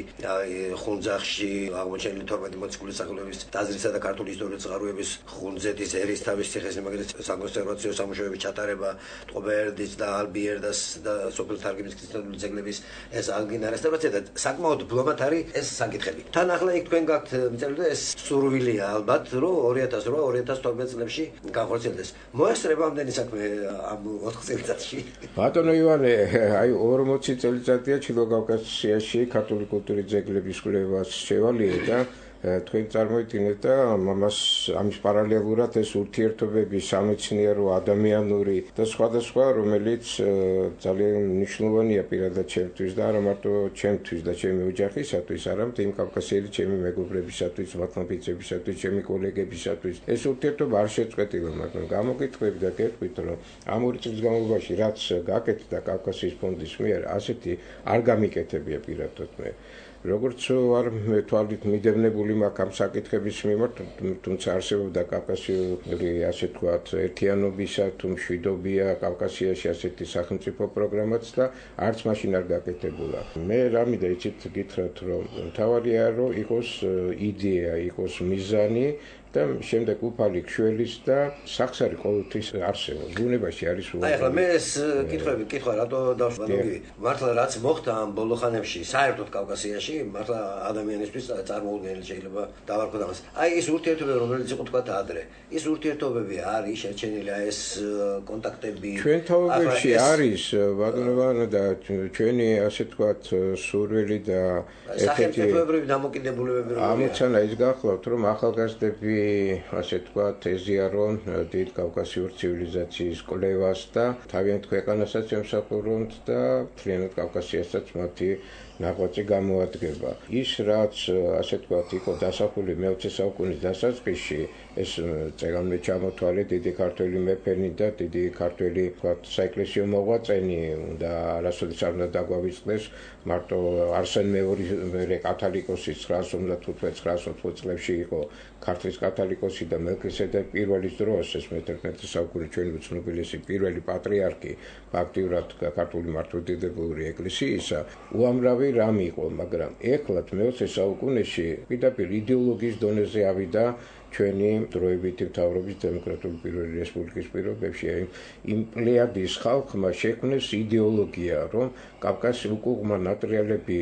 ხუნძახში აღმოჩენილი თორმეტი მოციქულის სახელობის ტაძრისა და ქართული ისტორიული წყაროების ხუნძეთის ერისთავის ციხესიმაგრის საკონსერვაციო სამუშაოების ჩატარება, ტყობერდის და ალბიერდას და სოფელ თარგმნის ქრისტიანული ძეგლების ეს ალგინა რესტავრაცია და საკმაოდ ბლომად არის ეს საკითხები. თან ახლა იქ თქვენ გაქვთ მიწერილი და ეს სურვილია ალბათ რომ ორი ათას რვა ორი ათას თორმეტ წლებში განხორციელდეს. მოესწრება ამდენი საქმე ამ ოთხ წელიწადში. ბატონო ივანე, აი ორმოცი წელიწადია ჩილო კავკასიაში ქართული კულტურის ძეგლების კვლევას შევალიე და თქვენ წარმოიდგინეთ და ამას ამის პარალელურად ეს ურთიერთობები სამეცნიერო, ადამიანური და სხვადასხვა, რომელიც ძალიან მნიშვნელოვანია პირადად ჩემთვის და არა მარტო ჩემთვის და ჩემი ოჯახისათვის, არამედ იმ კავკასიელი ჩემი მეგობრებისათვის, მათნაფიცებისათვის, ჩემი კოლეგებისათვის. ეს ურთიერთობა არ შეწყვეტილა, მაგრამ გამოგიტყვები და გეტყვით, რომ ამ ორი წლის განმავლობაში რაც გაკეთდა კავკასიის ფონდის მიერ, ასეთი არ გამიკეთებია პირადად მე. როგორც არ თვალით მიდევნებული მაქვს ამ საკითხების მიმართ, თუმცა არსებობდა კავკასიური ასე ვთქვათ ერთიანობისა თუ მშვიდობია კავკასიაში ასეთი სახელმწიფო პროგრამაც და არც მაშინ არ გაკეთებულა. მე რამიდა იცით გითხრათ რომ მთავარია რომ იყოს იდეა, იყოს მიზანი და შემდეგ უფალი ქშველის და სახსარი ყოველთვის არსებობს. ბუნებაში არის უარი. აი ახლა მე ეს კითხვები კითხვა რატო დავშვანოგი? მართლა რაც მოხდა ამ ბოლო ხანებში საერთოდ კავკასიაში, მართლა ადამიანისთვის წარმოუდგენელი შეიძლება დავარქვა ამას. აი ეს ურთიერთობები რომელიც იყო თქვა ადრე. ის ურთიერთობები არის შეჩენილი აი ეს კონტაქტები. ჩვენ თავებში არის ბატონო და ჩვენი ასე ვთქვათ სურვილი და სახელმწიფოებრივი დამოკიდებულებები როგორია? ამოცანა ის გახლავთ რომ ახალგაზრდები ასე ვთქვათ ეზიარონ დიდ კავკასიურ ცივილიზაციის კვლევას და თავიანთ ქვეყანასაც ემსახურონ და მთლიანად კავკასიასაც მათი ნაღვაწი გამოადგება. ის რაც ასე ვთქვათ იყო დასახული მეოცე საუკუნის დასაწყისში, ეს წეგანმე ჩამოთვალე დიდი ქართველი მეფენი და დიდი ქართველი ვთქვათ საეკლესიო მოღვაწენი და არასოდეს არ უნდა დაგვავიწყდეს მარტო არსენ მეორე კათალიკოსის ცხრაას ოცდათხუთმეტ ცხრაას ოცდაოთხ წლებში იყო ქართლის კათალიკოსი და მელქისედეკ პირველის დროს ეს მეთერთმეტე საუკუნის ჩვენი უცნობილესი პირველი პატრიარქი ფაქტიურად ქართული მართლმადიდებლური ეკლესიისა უამრავი რამ იყო, მაგრამ ეხლაც მეოცე საუკუნეში პირდაპირ იდეოლოგიის დონეზე ავიდა ჩვენი დროებითი მთავრობის დემოკრატიული პირველი რესპუბლიკის პირობებში იმ პლეადის ხალხმა შექმნეს იდეოლოგია, რომ კავკასიის უკუღმა ნატრიალები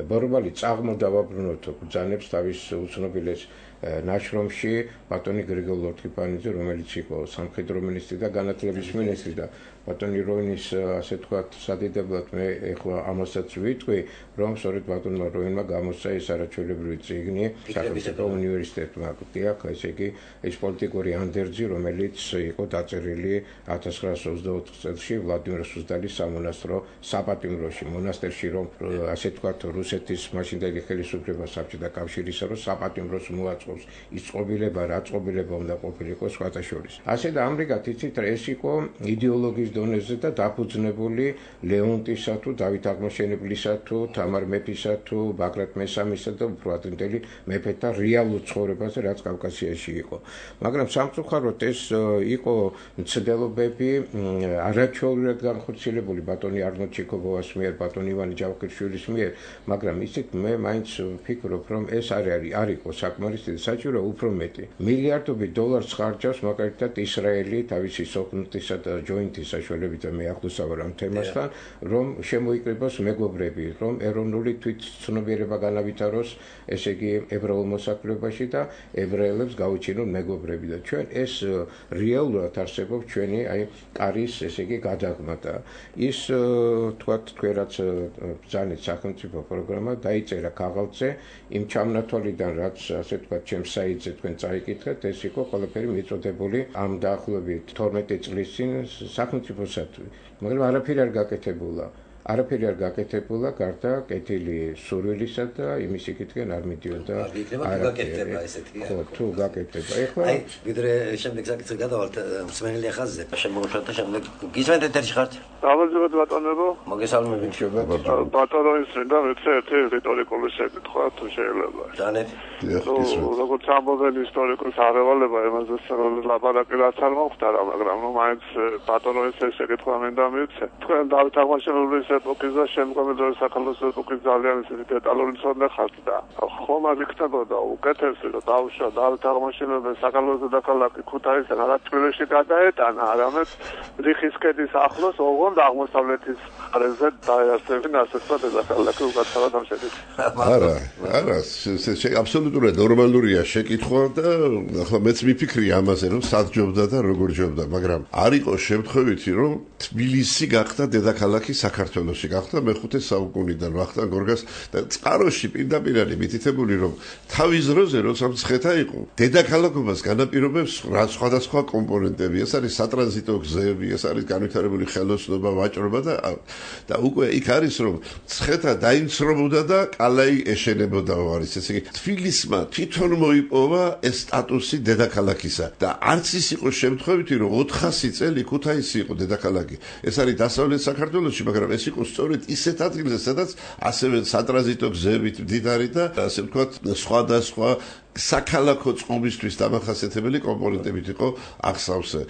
ბორბალი წაღმა დავაბრუნოთ ბრძანებს თავის უცნობილეს ნაშრომში ბატონი გრიგოლ ლორთქიფანიძე, რომელიც იყო სამხედრო მინისტრი და განათლების მინისტრი და ბატონი როინის ასე ვთქვათ სადიდებლად მე ეხლა ამასაც ვიტყვი, რომ სწორედ ბატონმა როინმა გამოსცა ეს არაჩვეულებრივი წიგნი სახელმწიფო უნივერსიტეტმა აკდიაქ, ესე იგი ეს პოლიტიკური ანდერძი, რომელიც იყო დაწერილი ათას ცხრაას ოცდაოთხ წელს ვლადიმერ სუზდალის სამონასტრო საპატიმროში, მონასტერში, რომ ასე ვთქვათ რუსეთის მაშინდელი ხელისუფლება საბჭოთა კავშირისა რომ საპატიმროს მოაწყობს ის წყობილება, რა წყობილება უნდა ყოფილიყო სხვათა შორის. ასე და ამრიგად იცით ეს იყო იდეოლოგიის დონეზე და დაფუძნებული ლეონტისა თუ დავით აღმაშენებლისა თუ თამარ მეფისა თუ ბაგრატ მესამისა და უფრო ადრინდელი მეფეთა რეალურ ცხოვრებაზე, რაც კავკასიაში იყო. მაგრამ სამწუხაროდ ეს იყო მცდელობები არაჩვეულებრივად განხორციელებული ბატონი არნოლდ ჩიქობოვას მიერ, ბატონ ივანე ჯავახიშვილის მიერ, მაგრამ ისიც მე მაინც ვფიქრობ, რომ ეს არ არის არ იყო საკმარისი და საჭირო უფრო მეტი. მილიარდობით დოლარს ხარჯავს მაგალითად ისრაელი თავისი სოხნთისა და ჯოინტის საშუალებით და მე ახლოს ვარ ამ თემასთან, რომ შემოიკრიბოს მეგობრები, რომ ეროვნული თვითცნობიერება განავითაროს, ესე იგი ებრაულ მოსახლეობაში და ებრაელებს გაუჩინონ მეგობრები და ჩვენ ეს რეალურად არსებობს ჩვენი აი კარის ესე იგი გადაღმა და ის თქვა თქვენ რაც ბრძანეთ სახელმწიფო პროგრამა დაიწერა ქაღალდზე იმ ჩამნათვალიდან რაც ასე თქვა ჩემს საიტზე თქვენ წაიკითხეთ ეს იყო ყველაფერი მიწოდებული ამ დაახლოებით თორმეტი წლის წინ სახელმწიფოსათვის მაგრამ არაფერი არ გაკეთებულა არაფერი არ გაკეთებულა გარდა კეთილი სურვილისა და იმის იკითხენ არ მიდიოდა არ გაკეთება ესეთი ხო თუ გაკეთება ეხლა აი ვიდრე შემდეგ საკითხი გადავალთ მსმენელი ხაზზე შემოუშვათ და შემდეგ გისმენთ ეთერში ხართ დავაძებოთ ბატონებო მოგესალმებით ბატონო ისე და მეც ერთი რიტორიკული საკითხია თუ შეიძლება დანეთ როგორც ამბობენ ისტორიკოსარევალება იმაზე ლაპარაკი რაც არ მოხდარა მაგრამ ნუ მაინც ბატონო ისე საკითხია მინდა მივცე თქვენ დავით აღმაშენებლის ეპოქის და შემდგომი დროის სახელმწიფო ეპოქის ძალიან ისეთი დეტალური მცოდნე ხართ და ხომ არ იქნებოდა უკეთესი რომ დავუშვა დავით აღმაშენებლის საკალოზე დაკალაკი ქუთაისთან არა თბილისში გადაეტანა არამედ რიხის ქედის ახლოს ოღონდ აღმოსავლეთის მხარეზე დაეასებინა ასე თქვა დედაქალაქი უკაცრავად ამ შეკითხვას არა არა ეს აბსოლუტურად ნორმალურია შეკითხვა და ახლა მეც მიფიქრი ამაზე რომ სად ჯობდა და როგორ ჯობდა მაგრამ არ იყო შემთხვევითი რომ თბილისი გახდა დედაქალაქი საქართველოში გახდა მეხუთე საუკუნიდან ვახტანგ გორგას და წყაროში პირდაპირ არის მითითებული რომ თავის დროზე როცა მცხეთა იყო დედაქალაქობას განაპირობებს რა სხვადასხვა კომპონენტები ეს არის სატრანზიტო გზები ეს არის განვითარებული ხელოსნობა ვაჭრობა და და უკვე იქ არის რომ მცხეთა დაინცრობოდა და კალაი ეშენებოდა არის ესე იგი თბილისმა თვითონ მოიპოვა ეს სტატუსი დედაქალაქისა და არც ის იყო შემთხვევითი რომ ოთხასი წელი ქუთაისი იყო დედაქალაქი ეს არის დასავლეთ საქართველოში მაგრამ ეს იყო სწორედ ისეთ ადგილზე სადაც ასევე სატრანზიტო გზებით მდიდარი და ასე ვთქვათ სხვადასხვა საქალაქო წყობისთვის დამახასიათებელი კომპონენტებით იყო აღსავსე.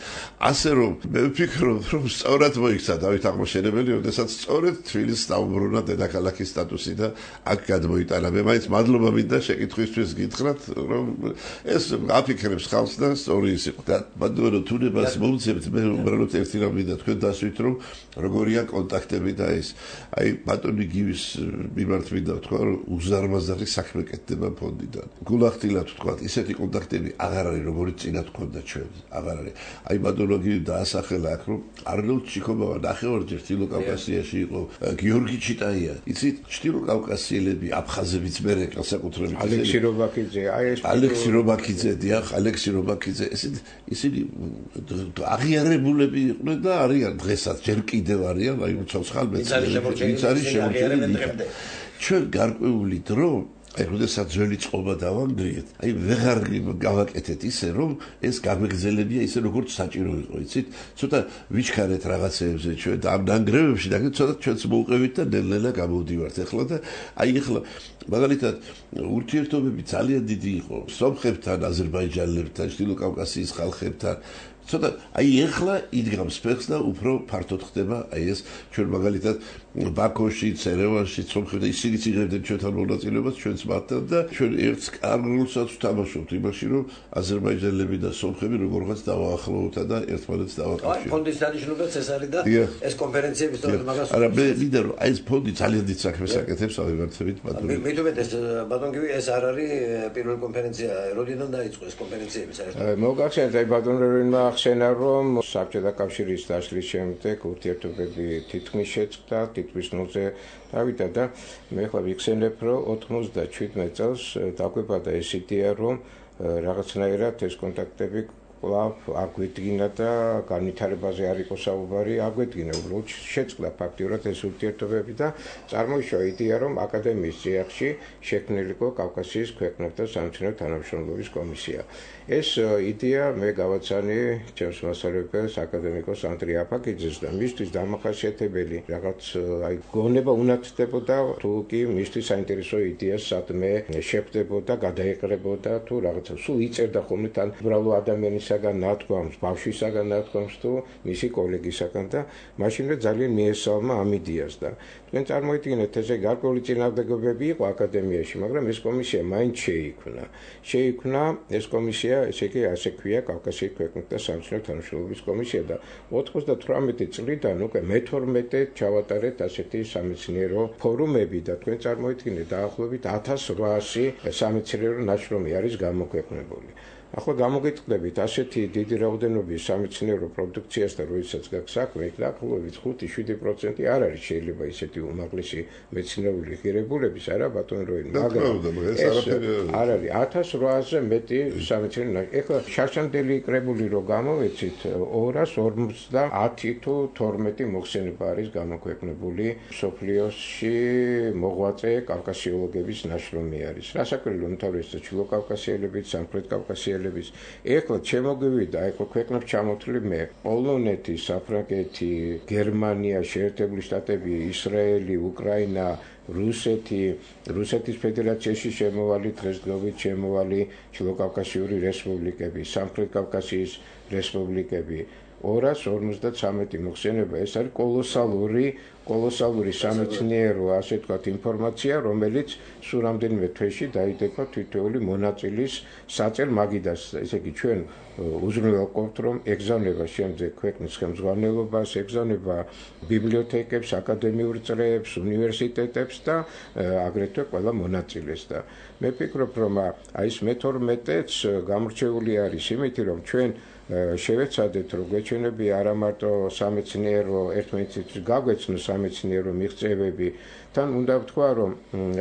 ასე რომ მე ვფიქრობ, რომ სწორად მოიქცა დავით აღმაშენებელი, როდესაც სწორედ თბილისს დაუბრუნა დედაქალაქის სტატუსი და აქ გადმოიტანა. მე მაინც მადლობა მინდა შეკითხვისთვის გითხრათ, რომ ეს აფიქრებს ხალხს და სწორი ის იყო. და ბატონო თუნებას მომცემთ, მე უბრალოდ ერთი რამ მინდა თქვენ დასვით, რომ როგორია კონტაქტები და ეს. აი ბატონი გივის მიმართ მინდა ვთქვა, რომ უზარმაზარი საქმე კეთდება ფონდიდან. გულახდილ თქვათ ისეთი კონტაქტები აღარ არის როგორც წინათ ქონდა ჩვენ აღარ არის აი ბატონოგი დაასახელა აქ რომ არნოლდ ჩიქობოვა ნახევარჯერ ჩრდილო კავკასიაში იყო გიორგი ჩიტაია იცით ჩრდილო კავკასიელები აფხაზებიც მე განსაკუთრებით ალექსი რობაქიძე აი ეს ალექსი რობაქიძე დიახ ალექსი რობაქიძე ესეთი ისინი აღიარებულები იყვნენ და არიან დღესაც ჯერ კიდევ არიან აი ცოცხალ მეცნიერები ვინც არის შემორჩენილი ჩვენ გარკვეული დრო აი როდესაც ძველი წყობა დავანგრიეთ, აი ვეღარ გავაკეთეთ ისე რომ ეს გამეგზელებია ისე როგორც საჭირო იყო, იცით? ცოტა ვიჩქარეთ რაღაცეებზე ჩვენ და ამ ნანგრევებში და ცოტა ჩვენც მოუყევით და ნელ-ნელა გამოვდივართ ახლა და აი ახლა მაგალითად ურთიერთობები ძალიან დიდი იყო სომხებთან, აზერბაიჯანელებთან, ჩრდილო კავკასიის ხალხებთან ცოტა აი ახლა იდგამს ფეხს და უფრო ფართოდ ხდება აი ეს ჩვენ მაგალითად ბაქოში, ერევანში, სომხებთან ისინიც იღებდნენ ჩვენთან მონაწილეობას ჩვენც მათთან და ჩვენ ერთს კარგულსაც ვთამაშობთ იმაში რომ აზერბაიჯანელები და სომხები როგორღაც დავაახლოვოთ და ერთმანეთს დავაკავშიროთ. აი ფონდის დანიშნულებაც ეს არის და ეს კონფერენციები სწორედ მაგას არა მე მინდა რომ აი ეს ფონდი ძალიან დიდ საქმეს აკეთებს ავიღარცებით ბატონო. მე მითუმეტ ეს ბატონგივი ეს არ არის პირველი კონფერენცია როდიდან დაიწყო ეს კონფერენციები საერთოდ. მოგახსენეთ აი ბატონმა ახსენა რომ საბჭოთა კავშირის დაშლის შემდეგ ურთიერთობები თითქმის შეწყდა თითქმის ნულზე დავიდა და მე ხლა ვიხსენებ რომ ოთხმოცდაშვიდმეტ წელს დაგვებადა ეს იდეა რომ რაღაცნაირად ეს კონტაქტები კლავ აგვედგინა და განვითარებაზე არ იყო საუბარი, აგვედგინა უბრალოდ შეწყდა ფაქტიურად ეს ურთიერთობები და წარმოიშვა იდეა, რომ აკადემიის წიაღში შექმნილიყო კავკასიის ქვეყნებთან სამეცნიერო თანამშრომლობის კომისია. ეს იდეა მე გავაცანი ჩემს მასწავლებელს აკადემიკოს ანდრია აფაკიძეს და მისთვის დამახასიათებელი რაღაც აი გონება უნათდებოდა თუ კი მისთვის საინტერესო იდეას სადმე შეხვდებოდა, გადაეყრებოდა თუ რაღაცა სულ იწერდა ხოლმე თან უბრალო ადამიანისაგან ნათქვამს, ბავშვისაგან ნათქვამს თუ მისი კოლეგისაგან და მაშინვე ძალიან მიესალმა ამ იდეას და თქვენ წარმოიდგინეთ ესე გარკვეული წინააღმდეგობები იყო აკადემიაში, მაგრამ ეს კომისია მაინც შეიქმნა. შეიქმნა ეს კომისია, ესე იგი ასე ქვია კავკასიის ქვეყნებთან სამეცნიერო თანამშრომლობის კომისია და ოცდათვრამეტი წლიდან უკვე მეთორმეტე ჩავატარეთ ასეთი სამეცნიერო ფორუმები და თქვენ წარმოიდგინეთ დაახლოებით ათას რვაასი სამეცნიერო ნაშრომი არის გამოქვეყნებული. ახლა გამოგიტყდებით ასეთი დიდი რაოდენობის სამეცნიერო პროდუქციასთან, როდესაც გაქვს საქმე, დაახლოებით ხუთი შვიდი პროცენტი არ არის შეიძლება ისეთი უმაღლესი მეცნიერული ღირებულების, არა ბატონო როინ, მაგრამ ეს არ არის ათას რვაასზე მეტი სამეცნიერო. ეხლა შარშანდელი კრებული რო გამოვეცით, ორას ორმოცდაათი თუ თორმეტი მოხსენება არის გამოქვეყნებული მსოფლიოში მოღვაწე კავკასიოლოგების ნაშრომი არის. რასაკვირველია, უმთავრესად ჩრდილო კავკასიელების, სამხრეთ კავკასიელების ეხლა შემოგვივიდა ეხლა ქვეყნებს ჩამოთვლი მე პოლონეთი, საფრანგეთი, გერმანია, შეერთებული შტატები, ისრაელი, უკრაინა, რუსეთი, რუსეთის ფედერაციაში შემოვალი დღესდღეობით შემოვალი ჩრდილო კავკასიური რესპუბლიკები, სამხრეთ კავკასიის რესპუბლიკები. ორას ორმოცდათვრამეტი მოხსენება, ეს არის კოლოსალური კოლოსალური სამეცნიერო, ასე ვთქვათ, ინფორმაცია, რომელიც სულ რამდენიმე თვეში დაიდება თითოეული მონაწილის საწერ მაგიდას. ესე იგი, ჩვენ უზრუნველყოფთ, რომ ეგზავნება შემდეგ ქვეყნის ხელმძღვანელობას, ეგზავნება ბიბლიოთეკებს, აკადემიურ წრეებს, უნივერსიტეტებს და აგრეთვე ყველა მონაწილეს და მე ვფიქრობ, რომ აი ეს მეთორმეტეც გამორჩეული არის იმით, რომ ჩვენ შევეცადეთ, რომ გვეჩვენებია არა მარტო სამეცნიერო ერთმანეთს გაგვეცნო სამეცნიერო მიღწევები, თან უნდა ვთქვა, რომ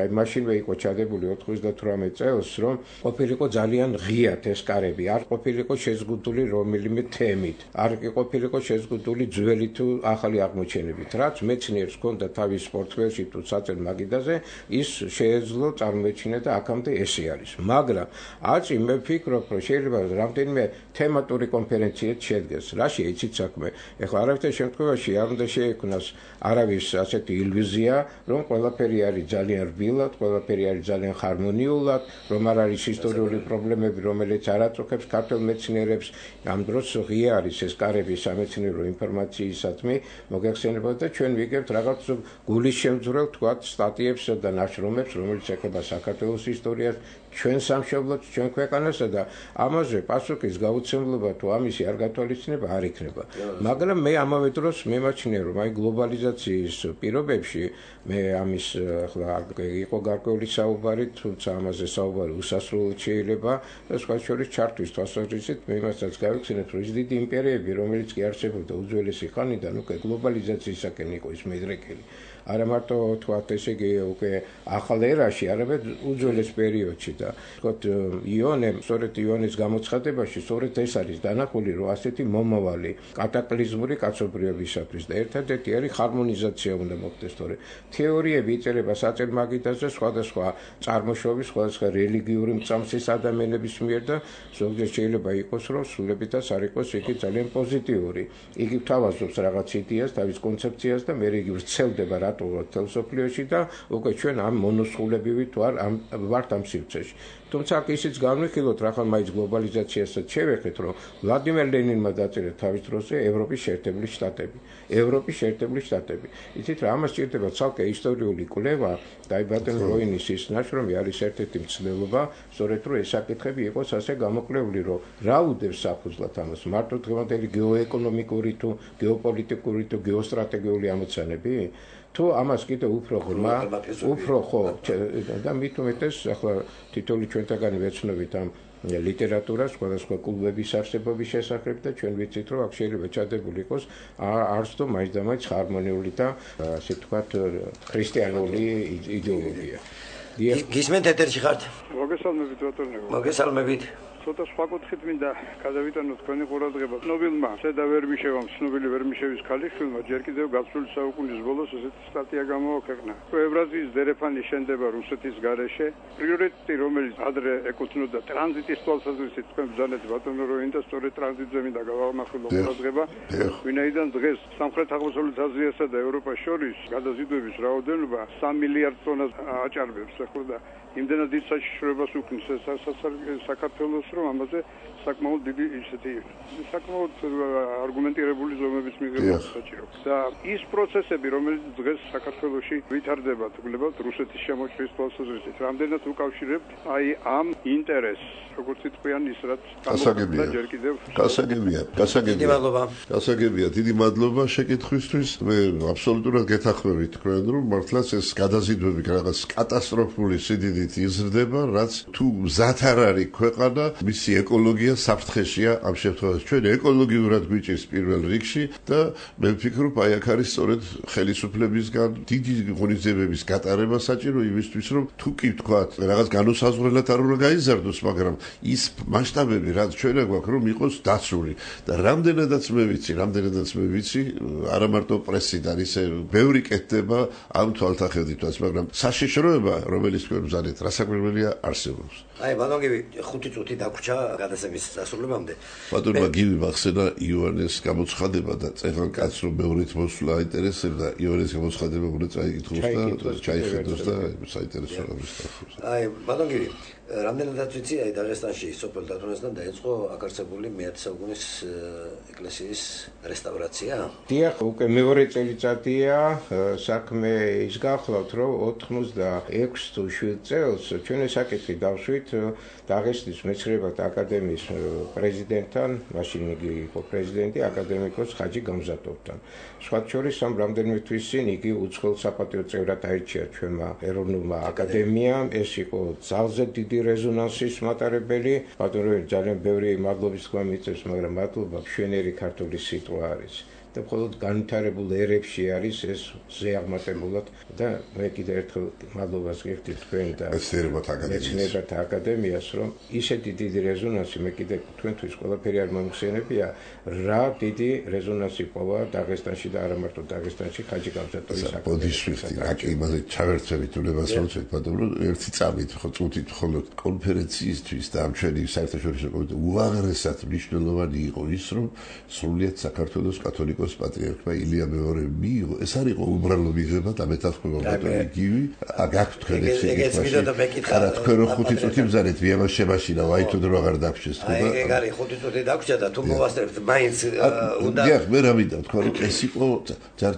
აი მაშინვე იყო ჩადებული ოცდათვრამეტ წელს, რომ ყოფილიყო ძალიან ღიად ეს კარები, არ ყოფილიყო შეზღუდული რომელიმე თემით, არ ყოფილიყო შეზღუდული ძველი თუ ახალი აღმოჩენებით, რაც მეცნიერს ჰქონდა თავის პორტფელში თუ საწერ მაგიდაზე, ის შეეძლო წარმოეჩინა და აქამდე ესე არის. მაგრამ აწი მე ვფიქრობ, რომ შეიძლება რამდენიმე თემატური კონფერენციაც შედგეს. რაშია იცით საქმე? ეხლა არავითარ შემთხვევაში არ უნდა შეექმნას არავის ასეთი ილუზია, რომ ყველაფერი არის ძალიან რბილად, ყველაფერი არის ძალიან ჰარმონიულად, რომ არ არის ისტორიული პრობლემები, რომელიც არ აწუხებს ქართველ მეცნიერებს. ამ დროს ღია არის ეს კარები სამეცნიერო ინფორმაციისადმი მოგეხსენებათ და ჩვენ ვიგებთ რაღაც გულის შემძვრელ თქვათ სტატიებს და ნაშრომებს, რომელიც ეხება საქართველოს ისტორიას, ჩვენ სამშობლოს, ჩვენ ქვეყანასა და ამაზე პასუხის გაუცემლობა თუ ამისი არ გათვალისწინება არ იქნება. მაგრამ მე ამავე დროს მემაჩნია, რომ აი გლობალიზაციის პირობებში მე ამის ახლა იყო გარკვეული საუბარი, თუმცა ამაზე საუბარი უსასრულოდ შეიძლება და სხვა შორის ჩართვის თვალსაზრისით მე იმასაც გავიხსენებ, რომ ის დიდი იმპერიები, რომელიც კი არსებობდა უძველესი ხანიდან, უკვე გლობალიზაციისაკენ იყო ის მიდრეკილი. არა მარტო თქვათ ესე იგი უკვე ახალ ერაში, არამედ უძველეს პერიოდში და თქვათ იონე, სწორედ იონის გამოცხადებაში სწორედ ეს არის დანახული, რომ ასეთი მომავალი კატაკლიზმური კაცობრიობისათვის და ერთადერთი არის ჰარმონიზაცია უნდა მოხდეს, თორე თეორიები იწერება საწერ მაგიდაზე სხვადასხვა წარმოშობის, სხვადასხვა რელიგიური მწამსის ადამიანების მიერ და ზოგჯერ შეიძლება იყოს, რომ სრულებითაც არ იყოს იგი ძალიან პოზიტიური. იგი თავაზობს რაღაც იდეას, თავის კონცეფციას და მე იგი ვრცელდება თელსოფლიოში და უკვე ჩვენ ამ მონოსხულებივით ვარ ამ ვართ ამ სივრცეში. თუმცა აქ ისიც განვიხილოთ, რახან მაინც გლობალიზაციასაც შევეხეთ, რომ ვლადიმერ ლენინმა დაწერა თავის დროზე ევროპის შეერთებული შტატები. ევროპის შეერთებული შტატები. იცით რა, ამას სჭირდება ცალკე ისტორიული კვლევა და აი ბატონ როინის ის ნაშრომი არის ერთ-ერთი მცდელობა, სწორედ რომ ეს საკითხები იყოს ასე გამოკვლეული, რომ რა უდევს საფუძვლად ამას, მარტო დღევანდელი გეოეკონომიკური თუ გეოპოლიტიკური თუ გეოსტრატეგიული ამოცანები? თუ ამას კიდე უფრო ღრმა, უფრო ხო და მით უმეტეს ახლა თითოეული ჩვენთაგანი ვეცნობით ამ ლიტერატურას, სხვადასხვა კლუბების არსებობის შესახებ და ჩვენ ვიცით, რომ აქ შეიძლება ჩადებული იყოს არც თუ მაინც და მაინც ჰარმონიული და ასე ვთქვათ ქრისტიანული იდეოლოგია. გისმენთ ეთერში ხართ? მოგესალმებით ბატონო. მოგესალმებით. ცოტა სხვა კუთხით მინდა გადავიტანოთ თქვენი ყურადღება. ცნობილმა ზედა ვერმიშევამ, ცნობილი ვერმიშევის ქალიშვილმა ჯერ კიდევ გასული საუკუნის ბოლოს ესეთი სტატია გამოაქვეყნა. ევრაზიის დერეფანი შენდება რუსეთის გარეშე. პრიორიტეტი, რომელიც ადრე ეკუთვნოდა ტრანზიტის თვალსაზრისით, თქვენ ბრძანეთ ბატონო როინდა, სწორედ ტრანზიტზე მინდა გავამახვილო ყურადღება. ვინაიდან დღეს სამხრეთ-აღმოსავლეთ აზიასა და ევროპას შორის გადაზიდვების რაოდენობა სამი მილიარდ ტონას აჭარბებს, ახლა და იმდენად დიდ საშიშროებას უქმნის საქართველოს, რომ ამაზე საკმაოდ დიდი ისეთი საკმაოდ არგუმენტირებული ზომების მიღება საჭირო. და ის პროცესები, რომელიც დღეს საქართველოში ვითარდება, თქლებათ რუსეთის შემოჭრის თვალსაზრისით, რამდენად უკავშირებთ აი ამ ინტერესს, როგორც თქვენ ის რაც გასაგებია. ჯერ კიდევ გასაგებია, გასაგებია. დიდი მადლობა. გასაგებია, დიდი მადლობა შეკითხვისთვის. მე აბსოლუტურად გეთანხმებით თქვენ, რომ მართლაც ეს გადაზიდვები რაღაც კატასტროფული სიდიდით იზრდება, რაც თუ მზად არ არის ქვეყანა, მისი ეკოლოგია საფრთხეშია ამ შემთხვევაში. ჩვენ ეკოლოგიურად გვიჭირს პირველ რიგში და მე ვფიქრობ, აი აქ არის სწორედ ხელისუფლებისგან დიდი ღონისძიებების გატარება საჭირო იმისთვის, რომ თუ კი ვთქვათ, რაღაც განუსაზღვრელად არ უნდა გაიზარდოს, მაგრამ ის მასშტაბები, რაც ჩვენ გვაქვს, რომ იყოს დაცული. და რამდენადაც მე ვიცი, რამდენადაც მე ვიცი, არა მარტო პრესიდან ისე ბევრი კეთდება ამ თვალთახედვითაც, მაგრამ საშიშროება, რომელიც თქვენ ბრძანეთ, რასაკვირველია არსებობს. აი, ბატონგივი, ხუთი წუთი დაგვრჩა გადასების დასრულებამდე. ბატონმა გივი მახსენა იონეს გამოცხადება და წეგან კაც რომ მეორით მოსვლა აინტერესებდა, იონეს გამოცხადება უნდა წაიკითხოს და ჩაიხედოს და საინტერესო რამის დახოს. აი, ბატონგივი, რამდენადაც ვიცი, აი დაღესტანში სოფელ დათუნასთან დაიწყო აკარცებული მეათე საუკუნის ეკლესიის რესტავრაცია. დიახ, უკვე მეორე წელიწადია საქმე ის გახლავთ, რომ ოთხმოცდაექვსი თუ შვიდ წელს ჩვენ საკითხი დავშვით დაღესტნის მეცნიერებათა აკადემიის პრეზიდენტთან, მაშინ იგი იყო პრეზიდენტი, აკადემიკოს ხაჯი გამზატოვთან. სხვათა შორის ამ რამდენიმე თვის წინ იგი უცხოელ საპატიო წევრად აირჩია ჩვენმა ეროვნულმა აკადემიამ. ეს იყო ძალზე დიდი რეზონანსის მატარებელი. ბატონო, ძალიან ბევრი მადლობის თქვა მიწევს, მაგრამ მადლობა მშვენიერი ქართული სიტყვა არის. და მხოლოდ განვითარებულ ერებში არის ეს ზეაღმატებულად და მე კიდევ ერთხელ მადლობას გიხდით თქვენ და მეცნიერებათა აკადემიას, რომ ისეთი დიდი რეზონანსი მე კიდევ თქვენთვის ყველაფერი არ მომხსენებია, რა დიდი რეზონანსი ყოლა დაღესტანში და არა მარტო დაღესტანში ხაჯი გამზატოვის აკადემიასთან. რა კი იმაზე ჩავერთვებით უნებას მოცეთ, ბატონო, ერთი წამით ხო წუთით მხოლოდ კონფერენციისთვის და ამ ჩვენი საერთაშორისო კომიტეტ უაღრესად მნიშვნელოვანი იყო ის, რომ სრულიად საქართველოს კათოლიკოს პატრიარქმა ილია მეორე მიიღო. ეს არ იყო უბრალო მიღება და მეთანხმება ბატონი გივი. გაქვთ თქვენ ეს სიტყვაში. არა, თქვენ რო ხუთი წუთი ბრძანეთ, ვიამას შემაშინა, აი თუ დრო აღარ დაგვრჩეს თუ და. აი, ეგ არის ხუთი წუთი დაგვრჩა და თუ მოვასწრებთ, მაინც უნდა. დიახ, მე რა მინდა თქვა, რომ ეს იყო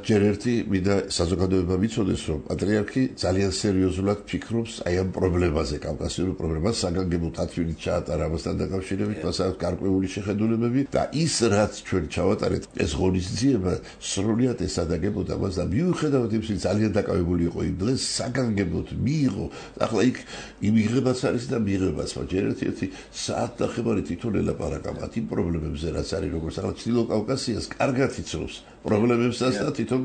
ჯერ ერთი მინდა საზოგადოება მიცოდეს, რომ პატრიარქი ძალიან სერიოზულად ფიქრობს აი ამ პრობლემაზე, კავკასიურ პრობლემას, საგანგებო თათვილი ჩაატარა ამასთან დაკავშირებით, მას აქვს გარკვეული შეხედულებები და ის რაც ჩვენ ჩავატარეთ, ეს ღონისძიება ძიება სრულიად ესადაგებოდა მას და მიუხედავად იმისა, ძალიან დაკავებული იყო იმ დღეს საგანგებოდ მიიღო. ახლა იქ იმიღებაც არის და მიიღებაც, მაგრამ ერთ-ერთი საათ ნახევარი თვითონ ელაპარაკა იმ პრობლემებზე, რაც არის როგორც ახლა ჩრდილო კავკასიას კარგად იცნობს პრობლემებსაც და თვითონ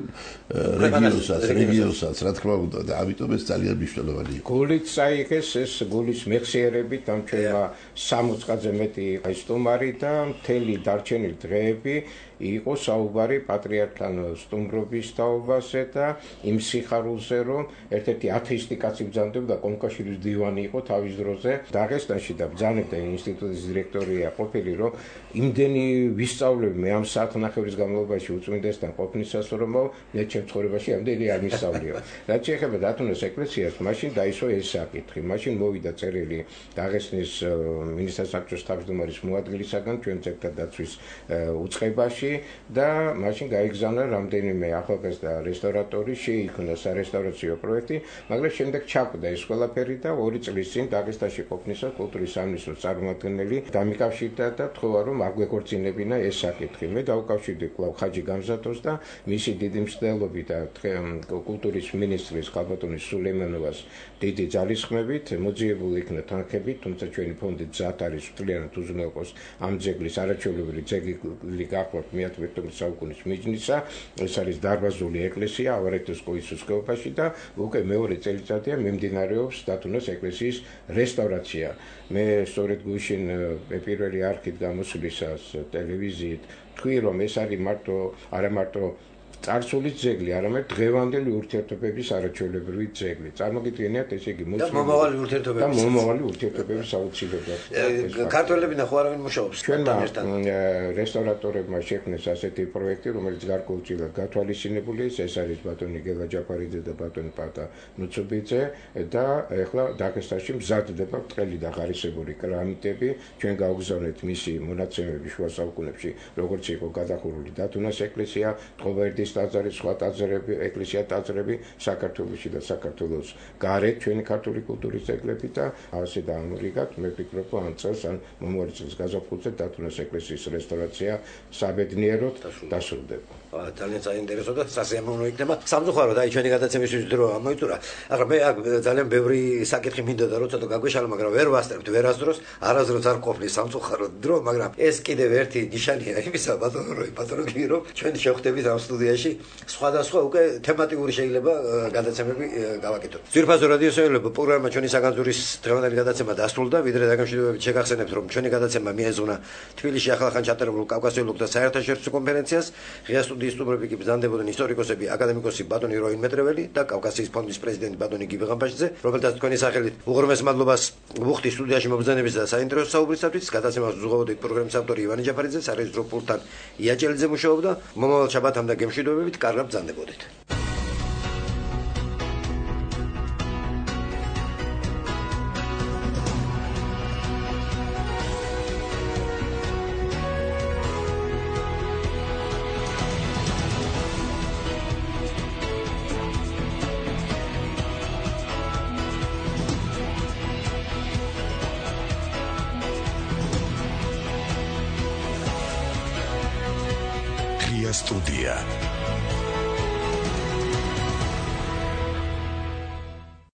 რეგიონსაც, რეგიონსაც, რა თქმა უნდა, და ამიტომ ეს ძალიან მნიშვნელოვანი იყო. გულით წაიღეს ეს გულის მეხსიერებით ამ ჩვენმა სამოწყაძე მეტი სტუმარი და მთელი დარჩენილი დღეები იყო საუბარი პატრიარქთან სტუმრობის თაობაზე და იმ სიხარულზე, რომ ერთ-ერთი ათეისტი კაცი ბრძანდებოდა, კონკაშირის დივანი იყო თავის დროზე დაღესტანში და ბრძანებდა ინსტიტუტის დირექტორია ყოფილი, რომ იმდენი ვისწავლები მე ამ საათნახევრის განმავლობაში უწმინდესთან ყოფნისას, რომ მე ჩემ ცხოვრებაში ამდენი არ მისწავლიო. რაც შეეხება დათუნას ეკლესიას, მაშინ დაისვა ეს საკითხი. მაშინ მოვიდა წერილი დაღესტნის მინისტრთა საბჭოს თავმჯდომარის მოადგილისაგან ჩვენ ძეგლთა დაცვის უწყებაში და მაშინ გაიგზავნა რამდენიმე ახალგაზრდა რესტავრატორი, შეიქმნა სარესტავრაციო პროექტი, მაგრამ შემდეგ ჩაკვდა ეს ყველაფერი და ორი წლის წინ დაღესტანში ყოფნისას კულტურის სამინისტროს წარმომადგენელი დამიკავშირდა და თქვა, რომ არ გვეკორწინებინა ეს საკითხი. მე დავუკავშირდი კვლავ ხაჯი გამზატ მოსათოს და მისი დიდი მცდელობით და კულტურის მინისტრის ქალბატონის სულეიმანოვას დიდი ძალისხმევით მოძიებული იქნა თანხები, თუმცა ჩვენი ფონდი მზად არის მთლიანად უზრუნველყოს ამ ძეგლის არაჩვეულებრივი ძეგლი გახლავთ მეათე საუკუნის მიჯნისა. ეს არის დარბაზული ეკლესია ავარეთის ყოისუს ხეობაში და უკვე მეორე წელიწადია მიმდინარეობს დათუნოს ეკლესიის რესტავრაცია. მე სწორედ გუშინ პირველი არქით გამოსვლისას ტელევიზიით თქვი რომ ეს არის მარტო არა მარტო წარსული ძეგლი, არამედ დღევანდელი ურთიერთობების არაჩვეულებრივი ძეგლი. წარმოგიდგენიათ ესე იგი და მომავალი ურთიერთობების და მომავალი ურთიერთობების აუცილებლად. ქართველები ნახო არავინ მუშაობს. ჩვენმა რესტავრატორებმა შექმნეს ასეთი პროექტი, რომელიც გარკვეულწილად გათვალისწინებული ის, ეს არის ბატონი გელა ჯაფარიძე და ბატონი პატა ნუცუბიძე და ეხლა დაგესტანში მზადდება ბრტყელი და ღარისებური კრამიტები. ჩვენ გავგზავნეთ მისი მონაცემები შუა საუკუნეებში, როგორც იყო გადახურული დათუნას ეკლესია, ტყობერდის ტაძარი, სხვა ტაძრები, ეკლესია ტაძრები საქართველოში და საქართველოს გარეთ ჩვენი ქართული კულტურის ძეგლები და ასე დაამორიგათ. მე ვფიქრობ, რომ ამ წელს ან მომავალ წელს გაზაფხულზე დათუნას ეკლესიის რესტავრაცია საბედნიეროდ დასრულდება. ძალიან საინტერესო და სასიამოვნო იქნება. სამწუხაროდ აი ჩვენი გადაცემისთვის დრო ამოიწურა. ახლა მე ძალიან ბევრი საკითხი მინდოდა რომ ცოტა გაგვეშალა, მაგრამ ვერ ვასწრებთ ვერასდროს, არასდროს არ ყოფნის სამწუხაროდ დრო, მაგრამ ეს კიდევ ერთი ნიშანია იმისა, ბატონო როი, ბატონო გირო, ჩვენ შევხვდებით ამ სტუდიაში სხვადასხვა უკვე თემატიკური შეიძლება გადაცემები გავაკეთოთ. ძვირფასო რადიო საერთო პროგრამა ჩვენი საგანძურის დღევანდელი გადაცემა დასრულდა. ვიდრე დაგემშვიდობებით შეგახსენებთ რომ ჩვენი გადაცემა მიეზონა თბილისში ახალხან ჩატარებულ კავკასიოლოგთა საერთაშორისო კონფერენციას. ღია სტუდიის სტუმრები კი ბრძანდებოდნენ ისტორიკოსები, აკადემიკოსი ბატონი როინ მეტრეველი და კავკასიის ფონდის პრეზიდენტი ბატონი გივი ღამბაშიძე, რომელთაც თქვენი სახელით უღრმეს მადლობას ვუხდი სტუდიაში მობრძანების და საინტერესო საუბრისათვის. გადაცემას უზღვაოდით პროგრამის ავტორი ივანე ჯაფარიძე, სარეჟისორო პულტთან იაჭელიძე მუშაობდა. მომავალ შაბათამდე გემშვიდობებით, კარგად ბრძანდებოდით. Студия.